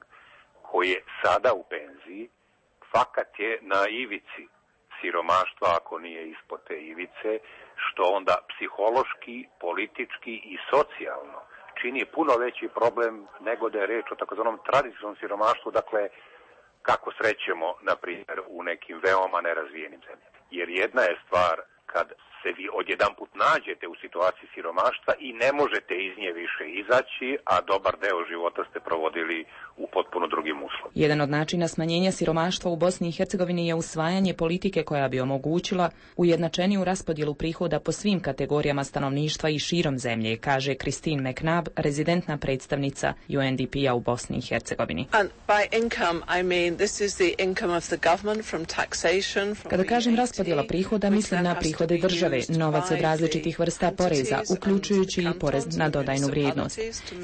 S5: koji je sada u penziji, fakat je na ivici siromaštva, ako nije ispod te ivice, što onda psihološki, politički i socijalno čini puno veći problem nego da je reč o takozvanom tradicionalnom siromaštvu, dakle kako srećemo, na primjer, u nekim veoma nerazvijenim zemljama. Jer jedna je stvar kad se vi odjedanput nađete u situaciji siromaštva i ne možete iz nje više izaći, a dobar deo života ste provodili u potpuno drugim uslovima.
S28: Jedan od načina smanjenja siromaštva u Bosni i Hercegovini je usvajanje politike koja bi omogućila ujednačeniju raspodjelu prihoda po svim kategorijama stanovništva i širom zemlje, kaže Christine McNabb, rezidentna predstavnica U N D P-a u Bosni i Hercegovini. Kada kažem raspodjela prihoda, mislim na prihode države, novac od različitih vrsta poreza, uključujući i porez na dodajnu vrijednost.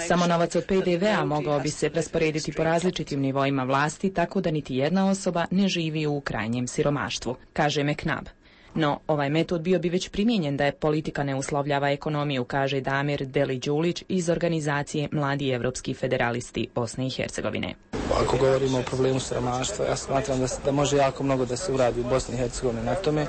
S28: Samo novac od P D V-a mogao bi se rasporediti po različitim nivoima vlasti, tako da niti jedna osoba ne živi u krajnjem siromaštvu, kaže McNabb. No, ovaj metod bio bi već primijenjen da je politika ne uslovljava ekonomiju, kaže Damir Deli-Đulić iz organizacije Mladi evropski federalisti Bosne i Hercegovine.
S6: Ako govorimo o problemu siromaštva, ja smatram da, da može jako mnogo da se uradi u Bosni i Hercegovini na tome,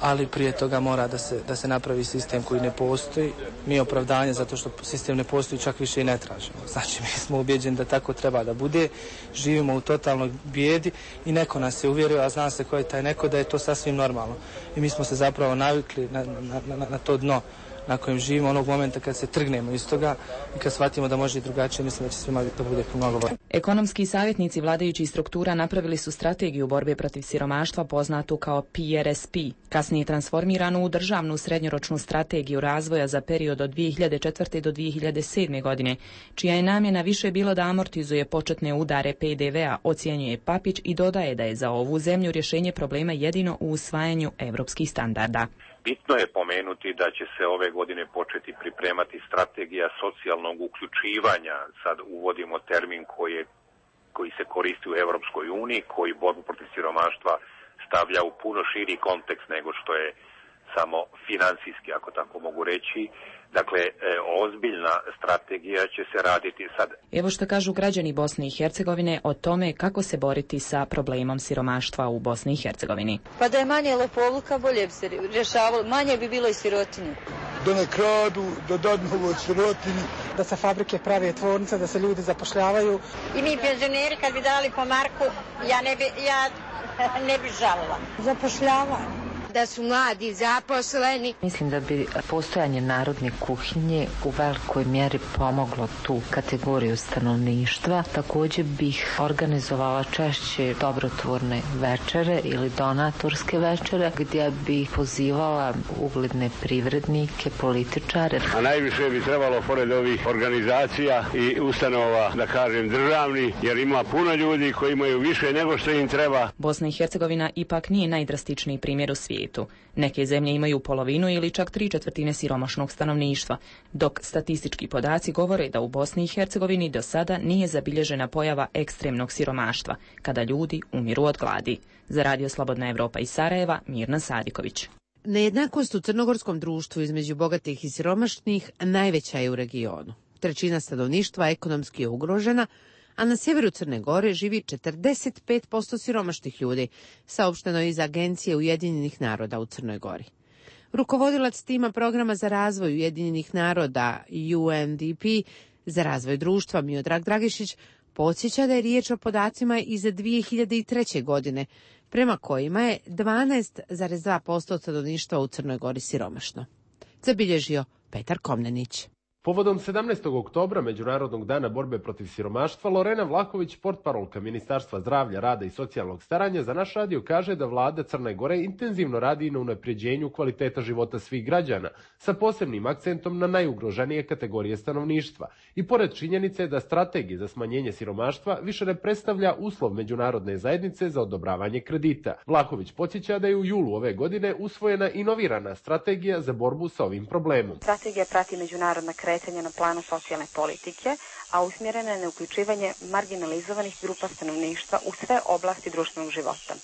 S6: ali prije toga mora da se, da se napravi sistem koji ne postoji. Mi je opravdanje zato što sistem ne postoji, čak više i ne tražimo. Znači, mi smo ubjeđeni da tako treba da bude. Živimo u totalnoj bijedi i neko nas je uvjerio, a zna se ko je taj neko, da je to sasvim normalno. I mi smo se zapravo navikli na, na, na, na to dno na kojem živimo onog momenta kad se trgnemo iz toga i kad shvatimo da može i drugačije, mislim da će svima da bude mnogo bolje.
S28: Ekonomski savjetnici vladajućih struktura napravili su strategiju borbe protiv siromaštva poznatu kao P R S P, kasnije transformiranu u državnu srednjoročnu strategiju razvoja za period od dvije hiljade četvrte do dvije hiljade sedme godine, čija je namjena više bilo da amortizuje početne udare P D V-a, ocjenjuje Papić i dodaje da je za ovu zemlju rješenje problema jedino u usvajanju evropskih standarda.
S5: Bitno je pomenuti da će se ove godine početi pripremati strategija socijalnog uključivanja. Sad uvodimo termin koji, je, koji se koristi u Europskoj uniji, koji borbu protiv siromaštva stavlja u puno širi kontekst nego što je samo financijski, ako tako mogu reći. Dakle, ozbiljna strategija će se raditi sad.
S28: Evo što kažu građani Bosne i Hercegovine o tome kako se boriti sa problemom siromaštva u Bosni i Hercegovini.
S9: Pa da je manje lopovluka, bolje bi se rješavalo, manje bi bilo i sirotinje.
S10: Da ne kradu, da dadnu od sirotinji.
S13: Da se fabrike prave, tvornice, da se ljudi zapošljavaju.
S9: I mi penzioneri kad bi dali po marku, ja ne bi, ja ne bi žalila.
S3: Zapošljavanje. Da su mladi zaposleni.
S15: Mislim da bi postojanje narodne kuhinje u velikoj mjeri pomoglo tu kategoriju stanovništva. Također bih organizovala češće dobrotvorne večere ili donatorske večere gdje bih pozivala ugledne privrednike, političare.
S17: A najviše bi trebalo pored ovih organizacija i ustanova, da kažem državni, jer ima puno ljudi koji imaju više nego što im treba.
S28: Bosna i Hercegovina ipak nije najdrastičniji primjer u svijetu. Neke zemlje imaju polovinu ili čak tri četvrtine siromašnog stanovništva, dok statistički podaci govore da u Bosni i Hercegovini do sada nije zabilježena pojava ekstremnog siromaštva, kada ljudi umiru od gladi. Za Radio Slobodna Evropa iz Sarajeva, Mirna Sadiković.
S1: Nejednakost u crnogorskom društvu između bogatih i siromašnih najveća je u regionu. Trećina stanovništva ekonomski je ugrožena, a na sjeveru Crne Gore živi četrdeset pet posto siromašnih ljudi, saopšteno je iz Agencije Ujedinjenih naroda u Crnoj Gori. Rukovodilac tima programa za razvoj Ujedinjenih naroda U N D P za razvoj društva Miodrag Dragišić podsjeća da je riječ o podacima iz dvije hiljade treće. godine, prema kojima je dvanaest zarez dva posto stanovništva u Crnoj Gori siromašno. Zabilježio Petar Komnenić.
S11: Povodom sedamnaestog oktobra, Međunarodnog dana borbe protiv siromaštva, Lorena Vlahović, portparolka Ministarstva zdravlja, rada i socijalnog staranja, za naš radio kaže da vlada Crne Gore intenzivno radi na unapređenju kvaliteta života svih građana, sa posebnim akcentom na najugroženije kategorije stanovništva. I pored činjenice da strategija za smanjenje siromaštva više ne predstavlja uslov međunarodne zajednice za odobravanje kredita. Vlahović podsjeća da je u julu ove godine usvojena inovirana strategija za borbu sa ovim problemom.
S18: Strategija prati međunarodna kretanja na planu socijalne politike, a usmjerena je na uključivanje marginalizovanih grupa stanovništva u sve oblasti društvenog života.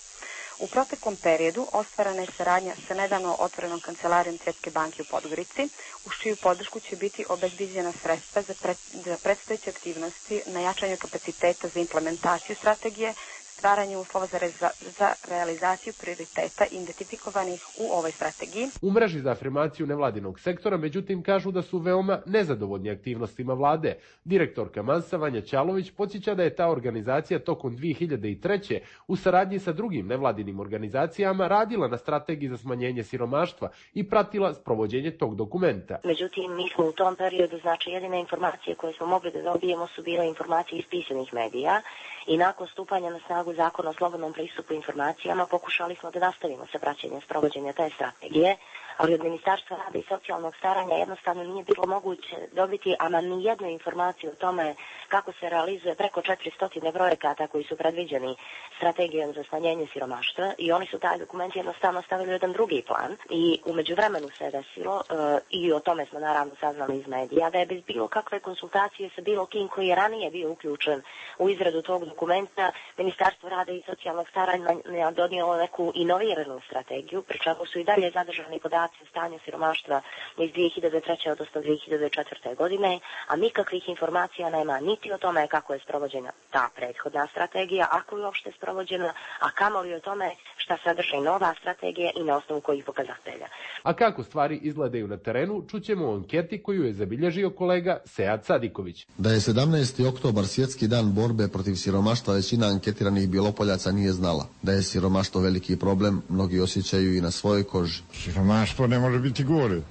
S18: U proteklom periodu ostvarana je saradnja sa nedavno otvorenom kancelarijom Svjetske banke u Podgorici, uz čiju podršku će biti obezbiđena sredstva za, pred, za predstojeće aktivnosti na jačanju kapaciteta za implementaciju strategije, stvaranje uslova za, reza, za realizaciju prioriteta identifikovanih u ovoj strategiji.
S11: U mreži za afirmaciju nevladinog sektora, međutim, kažu da su veoma nezadovoljni aktivnostima vlade. Direktorka Mansa Vanja Ćalović podsjeća da je ta organizacija tokom dvije hiljade treće u saradnji sa drugim nevladinim organizacijama radila na strategiji za smanjenje siromaštva i pratila sprovođenje tog dokumenta.
S19: Međutim, mi smo u tom periodu, znači jedine informacije koje smo mogli da dobijemo su bile informacije iz pisanih medija i nakon stupanja na snagu Zakona o slobodnom pristupu informacijama pokušali smo da nastavimo sa praćenjem sprovođenja te strategije, ali od Ministarstva rada i socijalnog staranja jednostavno nije bilo moguće dobiti ama ni jednu informaciju o tome kako se realizuje preko četiristo projekata koji su predviđeni strategijom za smanjenje siromaštva i oni su taj dokument jednostavno stavili u jedan drugi plan i u međuvremenu se desilo uh, i o tome smo naravno saznali iz medija da je bez bilo kakve konsultacije sa bilo kim koji je ranije bio uključen u izradu tog dokumenta Ministarstvo rada i socijalnog staranja donijelo neku inoviranu strategiju, pri čemu su i dalje zadržani podaci o stanju siromaštva iz dvije hiljade treće odnosno dvije hiljade četvrte godine, a nikakvih informacija nema niti o tome kako je sprovođena ta prethodna strategija, ako je uopšte sprovođena, a kamoli o tome šta sadrži nova strategija i na osnovu kojih pokazatelja.
S11: A kako stvari izgledaju na terenu, čućemo u anketi koju je zabilježio kolega Sead Sadiković.
S20: Da je sedamnaesti oktobar svjetski dan borbe protiv siromaštva, većina anketiranih Bjelopoljaca nije znala. Da je siromaštvo veliki problem, mnogi osjećaju i na svojoj koži.
S7: Siromaštvo ne može biti gore.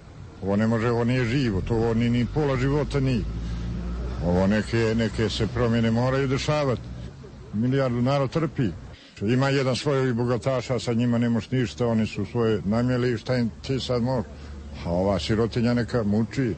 S7: Ovo ne može, ovo nije život, ovo ni, ni pola života nije. Ovo neke, neke se promjene moraju dešavati. Milijardu narod trpi. Ima jedan svojih bogataša, sa njima ne moš ništa, oni su svoje namjeli, šta im ti sad može? A ova sirotinja neka muči.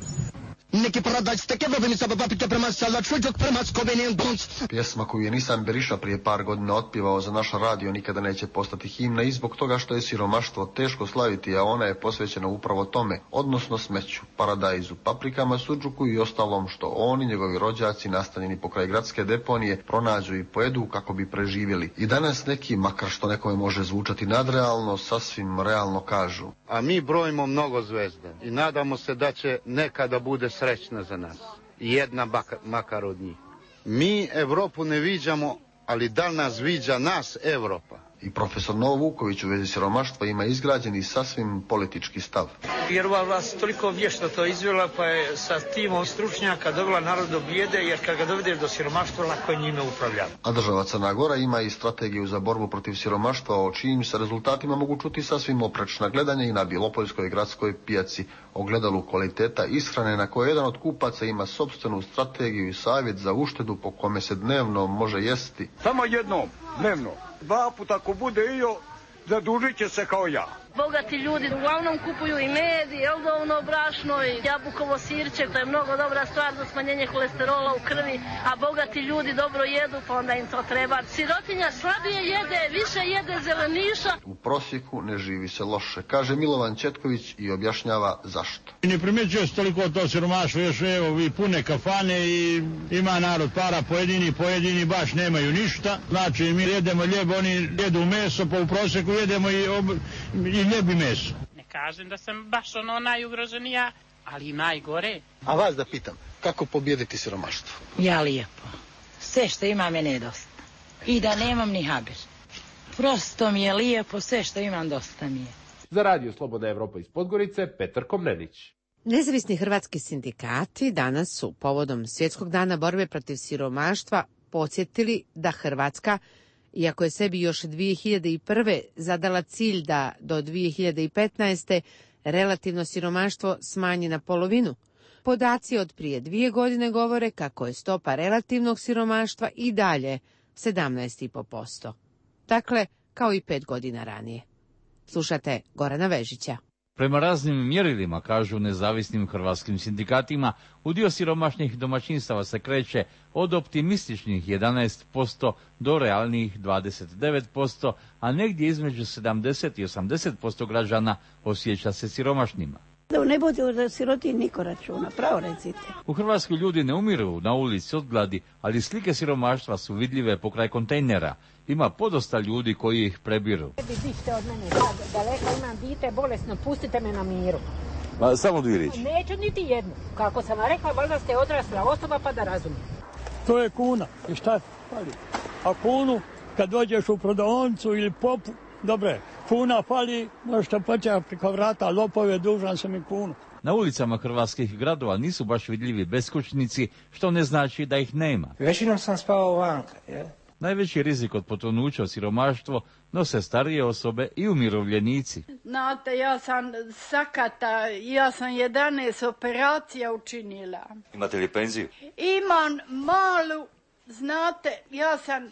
S21: Neki paradajz tek Evropeni sa papike prema sada čuđok prema skobeni bonc.
S20: Pjesma koju je Nisan Beriša prije par godina otpivao za naš radio nikada neće postati himna i zbog toga što je siromaštvo teško slaviti, a ona je posvećena upravo tome, odnosno smeću, paradajzu, paprikama, sudžuku i ostalom što oni, njegovi rođaci, nastanjeni pokraj gradske deponije, pronađu i pojedu kako bi preživjeli. I danas neki, makar što nekome može zvučati nadrealno, sasvim realno kažu.
S22: A mi brojimo mnogo zvezda i nadamo se da će nekada bude srećna za nas. Jedna baka, makar od njih. Mi Evropu ne viđamo, ali da li nas viđa nas Evropa?
S20: I profesor Novo Vuković u vezi siromaštva ima izgrađen i sasvim politički stav.
S24: Jer ova vlast toliko vješto to izvela, pa je sa timom stručnjaka dovela narod do bijede, jer kad ga dovedeš do siromaštva, lako je njime upravlja.
S20: A država Crna Gora ima i strategiju za borbu protiv siromaštva, o čijim se rezultatima mogu čuti sasvim oprečna gledanja i na Bjelopoljskoj gradskoj pijaci, ogledalu kvaliteta ishrane na kojoj jedan od kupaca ima sopstvenu strategiju i savjet za uštedu po kome se dnevno može jesti.
S10: Samo jednom, dnevno. Dva puta ako bude iyo, zadužit će se kao ja.
S25: Bogati ljudi uglavnom kupuju i med, i eldovno brašno, i jabukovo sirće, to je mnogo dobra stvar za smanjenje kolesterola u krvi, a bogati ljudi dobro jedu, pa onda im to treba. Sirotinja slabije jede, više jede zeleniša.
S20: U prosjeku ne živi se loše, kaže Milovan Četković i objašnjava zašto.
S29: Ne primjećuje se toliko to siromaštvo, još evo vi pune kafane i ima narod para, pojedini, pojedini baš nemaju ništa. Znači mi jedemo ljeb, oni jedu meso, pa u prosjeku jedemo i, ob... i ljebi meso.
S30: Ne kažem da sam baš ono najugroženija, ali i najgore.
S21: A vas da pitam, kako pobijediti siromaštvo?
S31: Ja lijepo. Sve što ima mene je dosta. I da nemam ni haber. Prosto mi je lijepo, sve što imam dosta mi je.
S11: Za radio Slobodna Evropa iz Podgorice, Petar Komnenić.
S1: Nezavisni hrvatski sindikati danas su povodom Svjetskog dana borbe protiv siromaštva podsjetili da Hrvatska, iako je sebi još dvije hiljade prve zadala cilj da do dvije hiljade petnaeste relativno siromaštvo smanji na polovinu, Podaci od prije dvije godine govore kako je stopa relativnog siromaštva i dalje sedamnaest zarez pet posto. Dakle, kao i pet godina ranije. Slušate Gorana Vežića.
S2: Prema raznim mjerilima, kažu nezavisnim hrvatskim sindikatima, udio siromašnih domaćinstava se kreće od optimističnih jedanaest posto do realnih dvadeset devet posto, a negdje između sedamdeset i osamdeset posto građana osjeća se siromašnima.
S4: Da ne bude da siroti niko računa, pravo recite.
S2: U Hrvatskoj ljudi ne umiru na ulici od gladi, ali slike siromaštva su vidljive pokraj kontejnera. Ima podosta ljudi koji ih prebiru.
S5: Bište od mene, sad daleko imam dite bolesno, pustite me na miru.
S2: Ma, samo dvije riječi.
S5: Neću niti jednu. Kako sam rekla, valjda ste odrasla osoba pa da razumijete.
S6: To je kuna. I šta fali? A kunu, kad dođeš u prodavnicu ili popu, dobre, kuna fali, možete početi preko vrata, lopove, dužan sam i kunu.
S2: Na ulicama hrvatskih gradova nisu baš vidljivi beskućnici, što ne znači da ih nema.
S5: Većinom sam spavao vanka, je?
S2: Najveći rizik od potonuća od siromaštvo nose starije osobe i umirovljenici.
S8: Znate, ja sam sakata, ja sam jedanaest operacija učinila.
S2: Imate li penziju?
S8: Imam malu, znate, ja sam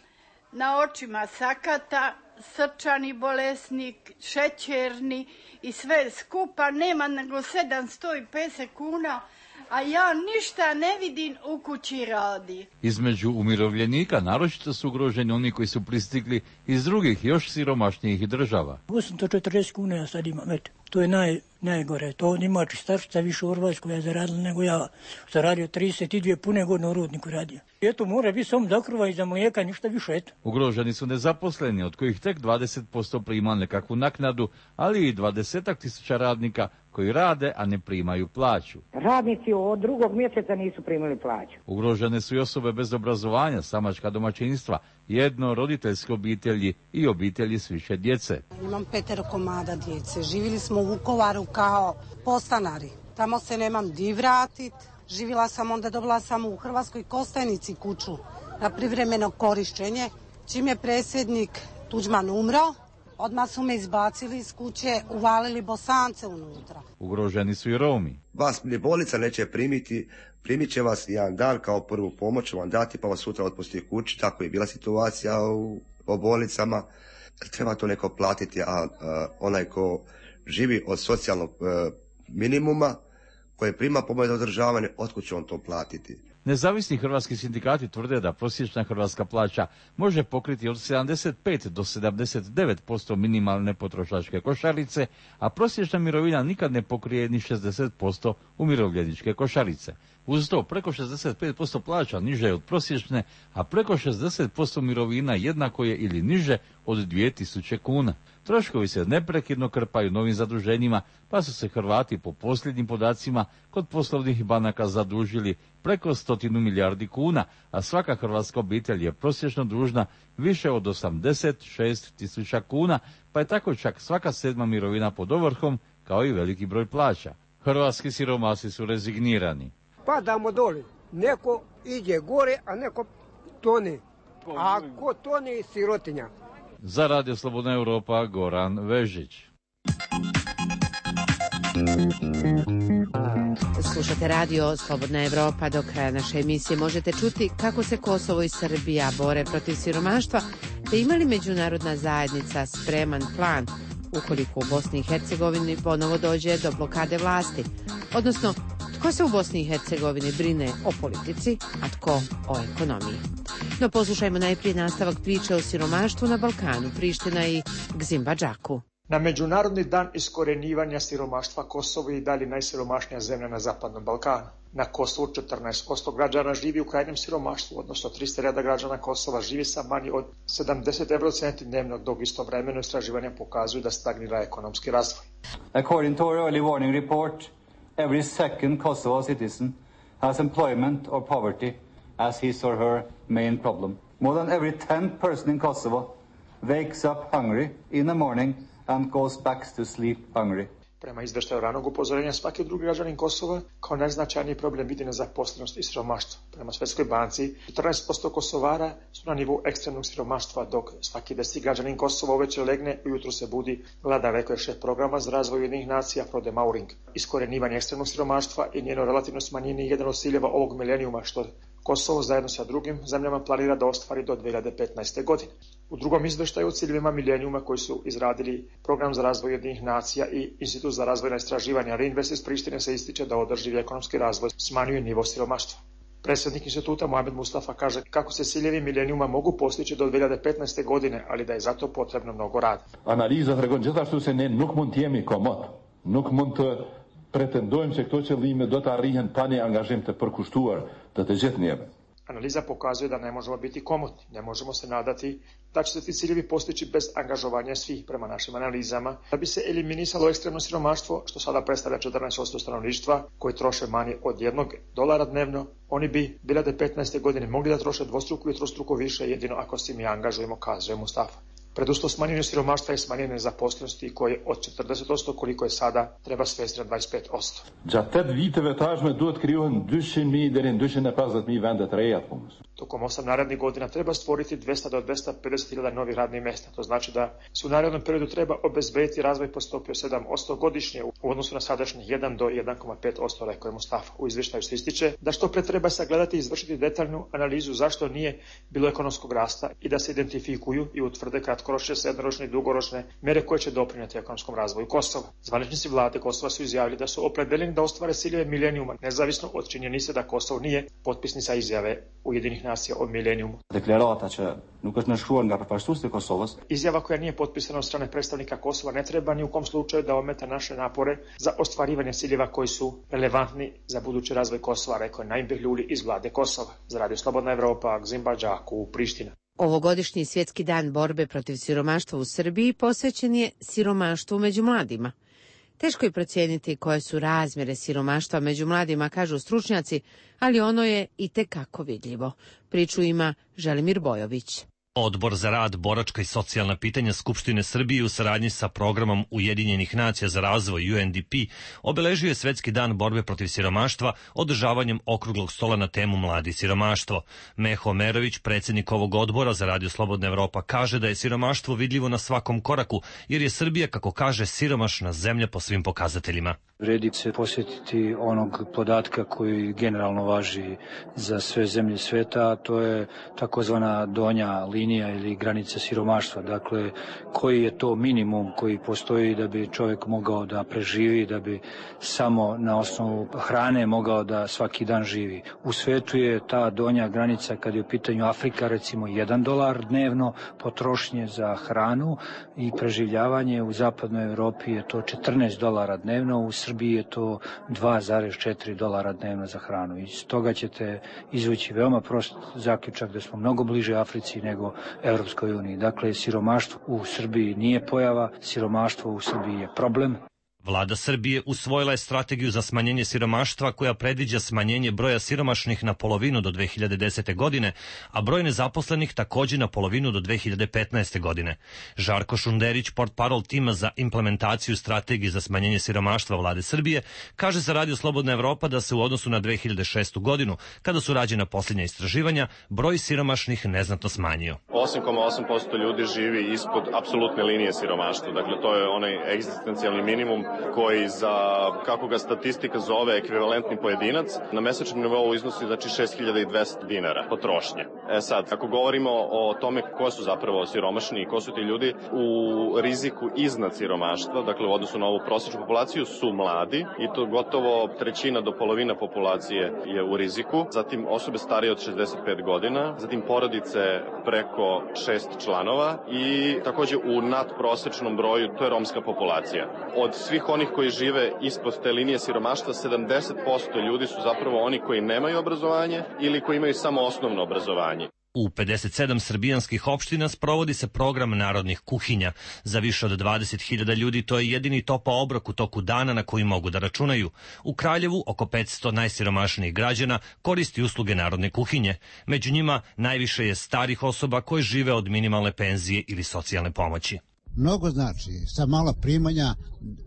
S8: na očima sakata, srčani bolesnik, šećerni i sve skupa, nema nego sedamsto pedeset kuna, a ja ništa ne vidim u kući radi.
S2: Između umirovljenika naročito su ugroženi oni koji su pristigli iz drugih još siromašnijih država.
S6: osamsto četrdeset kuna ja sad imam, eto. To je naj, najgore. To ima čistačica više u Hrvatskoj ja zaradila nego ja. Zaradio trideset dvije pune godine u rudniku radio. Eto, mora biti samo za krva i za mlijeka, ništa više, eto.
S2: Ugroženi su nezaposleni, od kojih tek dvadeset posto prima nekakvu naknadu, ali i dvadesetak tisuća radnika koji rade, a ne primaju plaću.
S5: Radnici od drugog mjeseca nisu primili plaću.
S2: Ugrožene su i osobe bez obrazovanja, samačka domaćinstva, jedno roditeljske obitelji i obitelji s više djece.
S12: Imam petero komada djece. Živjeli smo u Vukovaru kao postanari. Tamo se nemam di vratit. Živjela sam, onda dobila sam u Hrvatskoj Kostajnici kuću na privremeno korištenje. Čim je predsjednik Tuđman umro, odmah su me izbacili iz kuće, uvalili Bosance unutra.
S2: Ugroženi su i Romi.
S14: Vas ni bolnica neće primiti, primit će vas jedan dan kao prvu pomoć, vam dati pa vas sutra otpusti kući. Tako je bila situacija u, u bolnicama. Treba to neko platiti, a, a onaj ko živi od socijalnog a, minimuma, koji prima pomoć za održavanje, otkud će on to platiti?
S2: Nezavisni hrvatski sindikati tvrde da prosječna hrvatska plaća može pokriti od sedamdeset pet do sedamdeset devet posto minimalne potrošačke košarice, a prosječna mirovina nikad ne pokrije ni šezdeset posto umirovljeničke košarice. Uz to preko šezdeset pet posto plaća niže je od prosječne, a preko šezdeset posto mirovina jednako je ili niže od dvije tisuće kuna. Troškovi se neprekidno krpaju novim zaduženjima, pa su se Hrvati po posljednjim podacima kod poslovnih banaka zadužili preko stotinu milijardi kuna, a svaka hrvatska obitelj je prosječno dužna više od osamdeset šest tisuća kuna, pa je tako čak svaka sedma mirovina pod ovrhom, kao i veliki broj plaća. Hrvatski siromasi su rezignirani.
S16: Padamo doli, neko ide gore, a neko tone. A ko tone, sirotinja.
S2: Za Radio Slobodna Europa, Goran Vežić.
S1: Slušate Radio Slobodna Evropa. Do kraja naše emisije možete čuti kako se Kosovo i Srbija bore protiv siromaštva, te ima li međunarodna zajednica spreman plan ukoliko u Bosni i Hercegovini ponovo dođe do blokade vlasti, odnosno tko se u Bosni i Hercegovini brine o politici, a tko o ekonomiji. No poslušajmo najprije nastavak priče o siromaštvu na Balkanu, Priština i Gzimbadžaku.
S23: Na Međunarodni dan iskorenjivanja siromaštva Kosovo je i dalje najsiromašnija zemlja na Zapadnom Balkanu. Na Kosovu četrnaest posto građana živi u krajnjem siromaštvu, odnosno tristo hiljada građana Kosova živi sa manje od sedamdeset evrocenti dnevno, dok istovremeno istraživanja pokazuju da stagnira ekonomski razvoj.
S26: According to our early warning report, every second Kosovo citizen has employment or poverty as his or her main problem. More than every tenth person in Kosovo wakes up hungry in the morning and goes back to sleep hungry.
S23: Prema izveštaju ranog upozorenja, svaki drugi građanin Kosova kao najznačajniji problem vidi nezaposlenost i siromaštvo. Prema Svjetskoj banci, četrnaest posto Kosovara su na nivou ekstremnog siromaštva, dok svaki deseti građanin Kosova uveče legne i ujutru se budi gladan, rekao je šef programa za razvoj Ujedinjenih nacija Frode Mauring. Iskorenjivanje ekstremnog siromaštva i njeno relativno smanjenje je jedan od ciljeva ovog milenijuma, što Kosovo zajedno sa drugim zemljama planira da ostvari do dve hiljade petnaeste. godine. U drugom izveštaju o ciljevima milenijuma koji su izradili Program za razvoj Ujedinjenih nacija i Institut za razvojna istraživanja Reinvest iz Prištine se ističe da održivi ekonomski razvoj smanjuje nivo siromaštva. Predsjednik instituta Mohamed Mustafa kaže kako se ciljevi milenijuma mogu postići do dve hiljade petnaeste. godine, ali da je zato potrebno mnogo rada.
S3: Analiza tregon gjithashtu se ne nuk mund të jemi komod. Nuk mund të pretendojmë se këto qëllime do të arrihen pa një angazhim të përkushtuar të të gjithë njeve.
S23: Analiza pokazuje da ne možemo biti komotni, ne možemo se nadati da će se ti ciljevi postići bez angažovanja svih. Prema našim analizama, da bi se eliminisalo ekstremno siromaštvo, što sada predstavlja četrnaest posto stanovništva koji troše manje od jednog dolara dnevno, oni bi dve hiljade petnaeste. godine mogli da troše dvostruko i trostruko više jedino ako se mi angažujemo, kazuje Mustafa. Preduslov smanjenju siromaštva je smanjenje nezaposlenosti koje od četrdeset posto koliko je sada treba svesti na dvadeset pet posto.
S3: Gjatë tet viteve tashme duhet krijohen dyqind mijë deri në dyqind e pesëdhjetë mijë vende të reja të punës.
S23: Tokom osam narednih godina treba stvoriti dvesta do dvesta pedeset hiljada novih radnih mjesta. To znači da se u narednom periodu treba obezbediti razvoj po stopi od sedam posto godišnje u odnosu na sadašnjih jedan do jedan zarez pet posto, rekao je Mustafa. U izvještaju se ističe da što pre treba sagledati i izvršiti detaljnu analizu zašto nije bilo ekonomskog rasta i da se identifikuju i utvrde kratkoročne, srednjoročne i dugoročne mjere koje će doprinijeti ekonomskom razvoju Kosova. Zvaničnici vlade Kosova su izjavili da su opredeljeni da ostvare ciljeve milenijuma, nezavisno od činjenice da Kosovo nije potpisnica izjave Ujedinjenih nacija o milenijumu.
S3: Deklarata që nuk është nënshkruar nga përfaqësuesit e Kosovës.
S23: Izjava koja nije potpisana od strane predstavnika Kosova ne treba ni u kom slučaju da ometa naše napore za ostvarivanje ciljeva koji su relevantni za budući razvoj Kosova, rekao je Naim Behluli iz vlade Kosova. Za Radio Slobodna Evropa, Gzimba Đaku, Priština.
S1: Ovogodišnji svjetski dan borbe protiv siromaštva u Srbiji posvećen je siromaštvu među mladima. Teško je procijeniti koje su razmjere siromaštva među mladima, kažu stručnjaci, ali ono je i tekako vidljivo. Priču ima Želimir Bojović.
S7: Odbor za rad, boračka i socijalna pitanja Skupštine Srbije u saradnji sa programom Ujedinjenih nacija za razvoj U N D P obeležio je Svetski dan borbe protiv siromaštva održavanjem okruglog stola na temu Mladi siromaštvo. Meho Merović, predsjednik ovog odbora za Radio Slobodna Evropa, kaže da je siromaštvo vidljivo na svakom koraku, jer je Srbija, kako kaže, siromašna zemlja po svim pokazateljima.
S9: Vredi se posjetiti onog podatka koji generalno važi za sve zemlje sveta, a to je takozvana donja linija ili granica siromaštva. Dakle, koji je to minimum koji postoji da bi čovjek mogao da preživi, da bi samo na osnovu hrane mogao da svaki dan živi. U svetu je ta donja granica, kad je u pitanju Afrika, recimo jedan dolar dnevno potrošnje za hranu i preživljavanje. U zapadnoj Evropi je to četrnaest dolara dnevno, u Srbiji je to dva zarez četiri dolara dnevno za hranu. Iz toga ćete izvući veoma prost zaključak da smo mnogo bliže Africi nego Evropskoj uniji. Dakle, siromaštvo u Srbiji nije pojava, siromaštvo u Srbiji je problem.
S7: Vlada Srbije usvojila je strategiju za smanjenje siromaštva koja predviđa smanjenje broja siromašnih na polovinu do dve hiljade desete. godine, a broj nezaposlenih također na polovinu do dve hiljade petnaeste. godine. Žarko Šunderić, portparol tima za implementaciju strategije za smanjenje siromaštva Vlade Srbije, kaže za Radio Slobodna Evropa da se u odnosu na dve hiljade šestu. godinu, kada su rađena posljednja istraživanja, broj siromašnih neznatno smanjio.
S13: osam zarez osam posto ljudi živi ispod apsolutne linije siromaštva. Dakle, to je onaj egzistencijalni minimum koji za, kako ga statistika zove, ekvivalentni pojedinac, na mesečnom nivou iznosi znači šest hiljada dvesta dinara potrošnje. E sad, ako govorimo o tome ko su zapravo siromašni i ko su ti ljudi, u riziku iznad siromaštva, dakle u odnosu na ovu prosječnu populaciju, su mladi i to gotovo trećina do polovina populacije je u riziku, zatim osobe starije od šezdeset pet godina, zatim porodice preko šest članova i također u nadprosečnom broju, to je romska populacija. Od svih onih koji žive ispod te linije siromaštva, sedamdeset posto ljudi su zapravo oni koji nemaju obrazovanje ili koji imaju samo osnovno obrazovanje.
S7: U pedeset sedam srbijanskih opština sprovodi se program narodnih kuhinja. Za više od dvadeset hiljada ljudi to je jedini topao obrok u toku dana na koji mogu da računaju. U Kraljevu oko petsto najsiromašnijih građana koristi usluge narodne kuhinje. Među njima najviše je starih osoba koje žive od minimalne penzije ili socijalne pomoći.
S10: Mnogo znači, sa mala primanja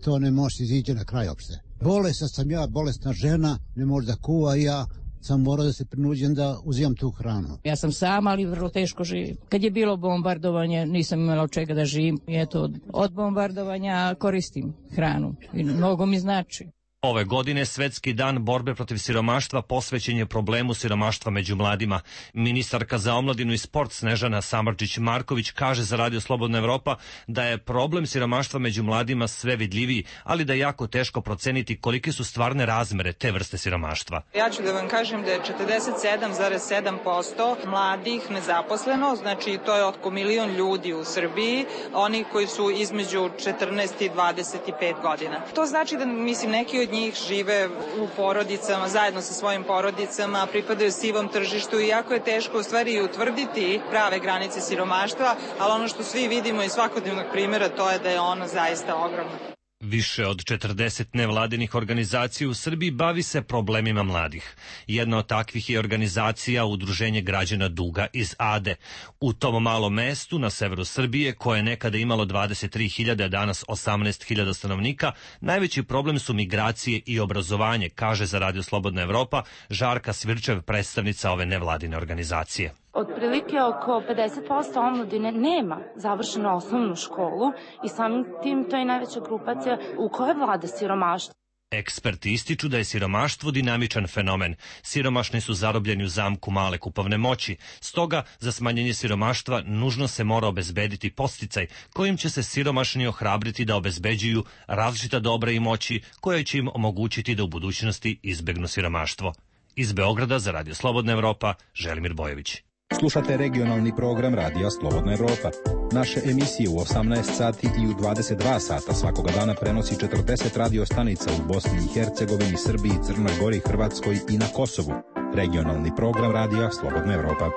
S10: to ne može izići na kraj opšte. Bolesna sam ja, bolesna žena, ne može da kuva i ja sam morao da se prinuđen da uzimam tu hranu.
S31: Ja sam sama, ali vrlo teško živim. Kad je bilo bombardovanje, nisam imala od čega da živim. I eto, od bombardovanja koristim hranu i mnogo mi znači.
S7: Ove godine Svetski dan borbe protiv siromaštva posvećen je problemu siromaštva među mladima. Ministarka za omladinu i sport Snežana Samardžić-Marković kaže za Radio Slobodna Evropa da je problem siromaštva među mladima sve vidljiviji, ali da je jako teško proceniti kolike su stvarne razmere te vrste siromaštva.
S15: Ja ću da vam kažem da je četrdeset sedam zarez sedam posto mladih nezaposleno, znači to je oko milion ljudi u Srbiji, oni koji su između četrnaest i dvadeset pet godina. To znači da, mislim, neki od njih žive u porodicama, zajedno sa svojim porodicama, pripadaju sivom tržištu i jako je teško u stvari utvrditi prave granice siromaštva, ali ono što svi vidimo iz svakodnevnog primjera to je da je ono zaista ogromno.
S7: Više od četrdeset nevladinih organizacija u Srbiji bavi se problemima mladih. Jedna od takvih je organizacija Udruženje građana Duga iz Ade. U tom malom mestu na severu Srbije, koje je nekada imalo dvadeset tri hiljade, a danas osamnaest hiljada stanovnika, najveći problem su migracije i obrazovanje, kaže za Radio Slobodna Evropa Žarka Svirčev, predstavnica ove nevladine organizacije.
S17: Otprilike oko pedeset posto omladine nema završenu osnovnu školu i samim tim to je najveća grupacija u kojoj vlada siromaštvo.
S7: Eksperti ističu da je siromaštvo dinamičan fenomen. Siromašni su zarobljeni u zamku male kupovne moći. Stoga, za smanjenje siromaštva nužno se mora obezbediti podsticaj kojim će se siromašni ohrabriti da obezbeđuju različita dobra i moći koje će im omogućiti da u budućnosti izbegnu siromaštvo. Iz Beograda za Radio Slobodna Evropa, Želimir Bojović.
S18: Slušate regionalni program Radija Slobodna Evropa. Naše emisije u osamnaest sati i u dvadeset dva sata svakoga dana prenosi četrdeset radio stanica u Bosni i Hercegovini, Srbiji, Crnoj Gori, Hrvatskoj i na Kosovu. Regionalni program Radija Slobodna Evropa.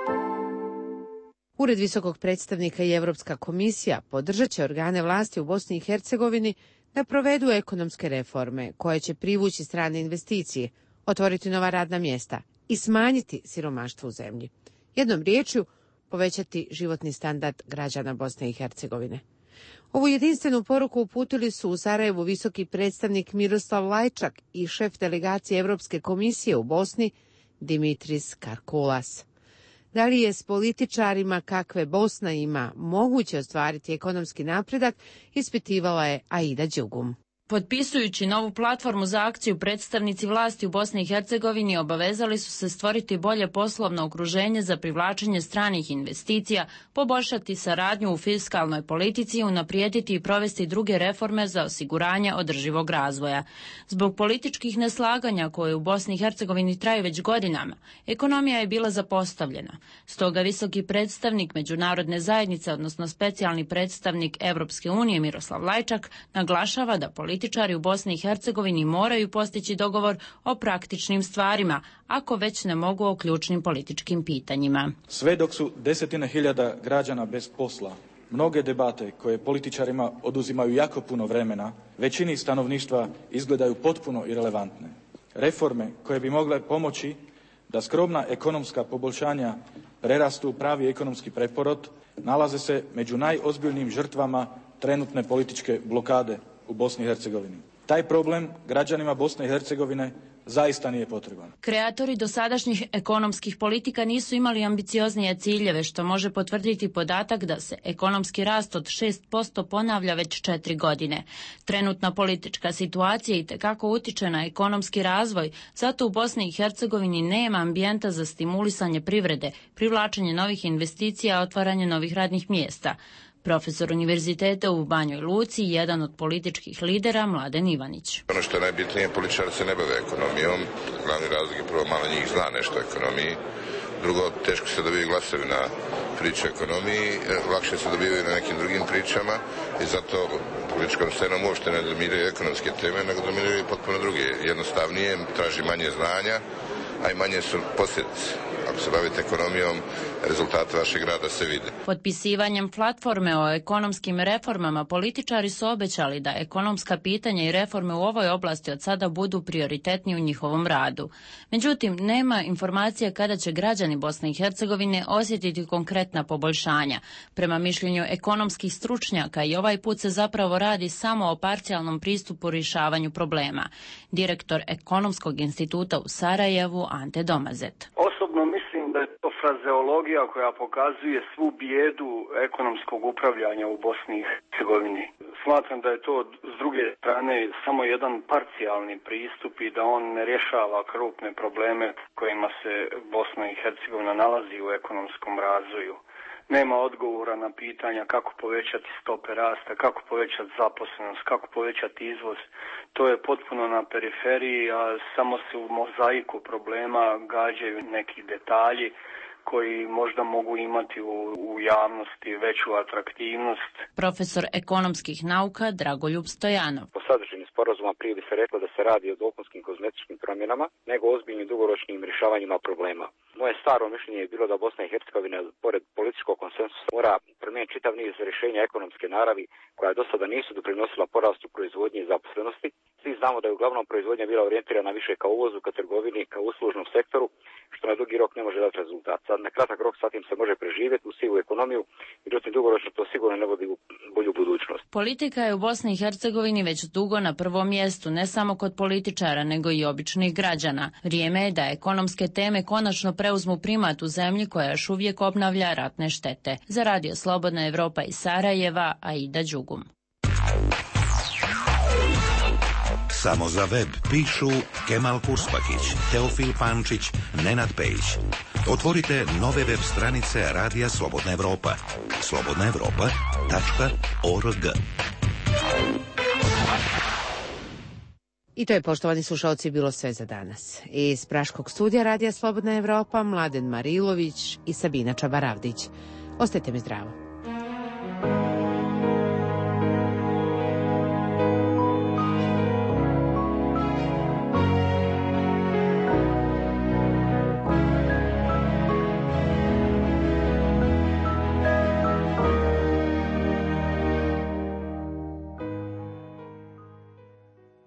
S1: Ured visokog predstavnika i Evropska komisija podržat će organe vlasti u Bosni i Hercegovini da provedu ekonomske reforme koje će privući strane investicije, otvoriti nova radna mjesta i smanjiti siromaštvo u zemlji. Jednom riječju, povećati životni standard građana Bosne i Hercegovine. Ovu jedinstvenu poruku uputili su u Sarajevu visoki predstavnik Miroslav Lajčak i šef delegacije Evropske komisije u Bosni Dimitris Karkulas. Da li je s političarima kakve Bosna ima moguće ostvariti ekonomski napredak, ispitivala je Aida Đugum.
S31: Potpisujući novu platformu za akciju, predstavnici vlasti u Bosni i Hercegovini obavezali su se stvoriti bolje poslovno okruženje za privlačenje stranih investicija, poboljšati saradnju u fiskalnoj politici i unaprijediti i provesti druge reforme za osiguranje održivog razvoja. Zbog političkih neslaganja koje u Bosni i Hercegovini traju već godinama, ekonomija je bila zapostavljena. Stoga visoki predstavnik međunarodne zajednice, odnosno specijalni predstavnik Evropske unije Miroslav Lajčak, naglašava da politički Političari u Bosni i Hercegovini moraju postići dogovor o praktičnim stvarima, ako već ne mogu o ključnim političkim pitanjima.
S19: Sve dok su desetine hiljada građana bez posla, mnoge debate koje političarima oduzimaju jako puno vremena, većini stanovništva izgledaju potpuno irelevantne. Reforme koje bi mogle pomoći da skromna ekonomska poboljšanja prerastu u pravi ekonomski preporod nalaze se među najozbiljnijim žrtvama trenutne političke blokade u Bosni i Hercegovini. Taj problem građanima Bosne i Hercegovine zaista nije potreban.
S31: Kreatori dosadašnjih ekonomskih politika nisu imali ambicioznije ciljeve, što može potvrditi podatak da se ekonomski rast od šest posto ponavlja već četiri godine. Trenutna politička situacija itekako utiče na ekonomski razvoj, zato u Bosni i Hercegovini nema ambijenta za stimulisanje privrede, privlačenje novih investicija, otvaranje novih radnih mjesta. Profesor univerziteta u Banjoj Luci, jedan od političkih lidera, Mladen Ivanić.
S20: Ono što je najbitnije, političari se ne bave ekonomijom. Glavni razlog je prvo, malo njih zna nešto o ekonomiji. Drugo, teško se dobiju glasovi na priče o ekonomiji, lakše se dobivaju na nekim drugim pričama i zato političkom scenom uopšte ne dominiraju ekonomske teme, nego dominiraju potpuno druge. Jednostavnije, traži manje znanja, a i manje su posljedice. Ako se bavite ekonomijom, rezultate vašeg rada se vide.
S31: Potpisivanjem platforme o ekonomskim reformama političari su obećali da ekonomska pitanja i reforme u ovoj oblasti od sada budu prioritetni u njihovom radu. Međutim, nema informacije kada će građani Bosne i Hercegovine osjetiti konkretna poboljšanja. Prema mišljenju ekonomskih stručnjaka i ovaj put se zapravo radi samo o parcijalnom pristupu rješavanju problema. Direktor Ekonomskog instituta u Sarajevu Ante Domazet.
S4: Osobno mislim da je to frazeologija koja pokazuje svu bijedu ekonomskog upravljanja u Bosni i Hercegovini. Smatram da je to s druge strane samo jedan parcijalni pristup i da on ne rješava krupne probleme kojima se Bosna i Hercegovina nalazi u ekonomskom razvoju. Nema odgovora na pitanja kako povećati stope rasta, kako povećati zaposlenost, kako povećati izvoz. To je potpuno na periferiji, a samo se u mozaiku problema gađaju neki detalji koji možda mogu imati u, u javnosti veću atraktivnost.
S31: Profesor ekonomskih nauka Dragoljub Stojanov.
S8: Po sadržini sporazuma prije bi se reklo da se radi o dopunskim kozmetičkim promjenama, nego ozbiljnim dugoročnim rješavanjima problema. Moje staro mišljenje je bilo da Bosna i Hercegovina, pored političkog konsensusa, mora promijeniti čitav niz rješenja ekonomske naravi koja do sada nisu doprinosila porastu proizvodnje i zaposlenosti. Svi znamo da je uglavnom proizvodnja bila orijentirana više ka uvozu, ka trgovini, ka uslužnom sektoru, što na dugi rok ne može dati rezultat. Sad na kratak rok sa tim se može preživjeti u sivu ekonomiju, međutim dugoročno to sigurno ne vodi u bolju budućnost.
S31: Politika je u Bosni i Hercegovini već dugo na prvom mjestu, ne samo kod političara, nego i običnih građana. Vrijeme je da ekonomske teme konačno preuzmu primat u zemlji koja još uvijek obnavlja ratne štete. Za Radio Slobodna Evropa iz Sarajeva, Aida Đugum.
S11: Samo za web pišu Kemal Kurspakić, Teofil Pančić, Nenad Pejić. Otvorite nove web stranice Radija Slobodna Evropa. slobodna evropa tačka org.
S1: I to je, poštovani slušalci, bilo sve za danas. Iz Praškog studija Radija Slobodna Evropa, Mladen Marilović i Sabina Čabaravdić. Ostajte mi zdravo.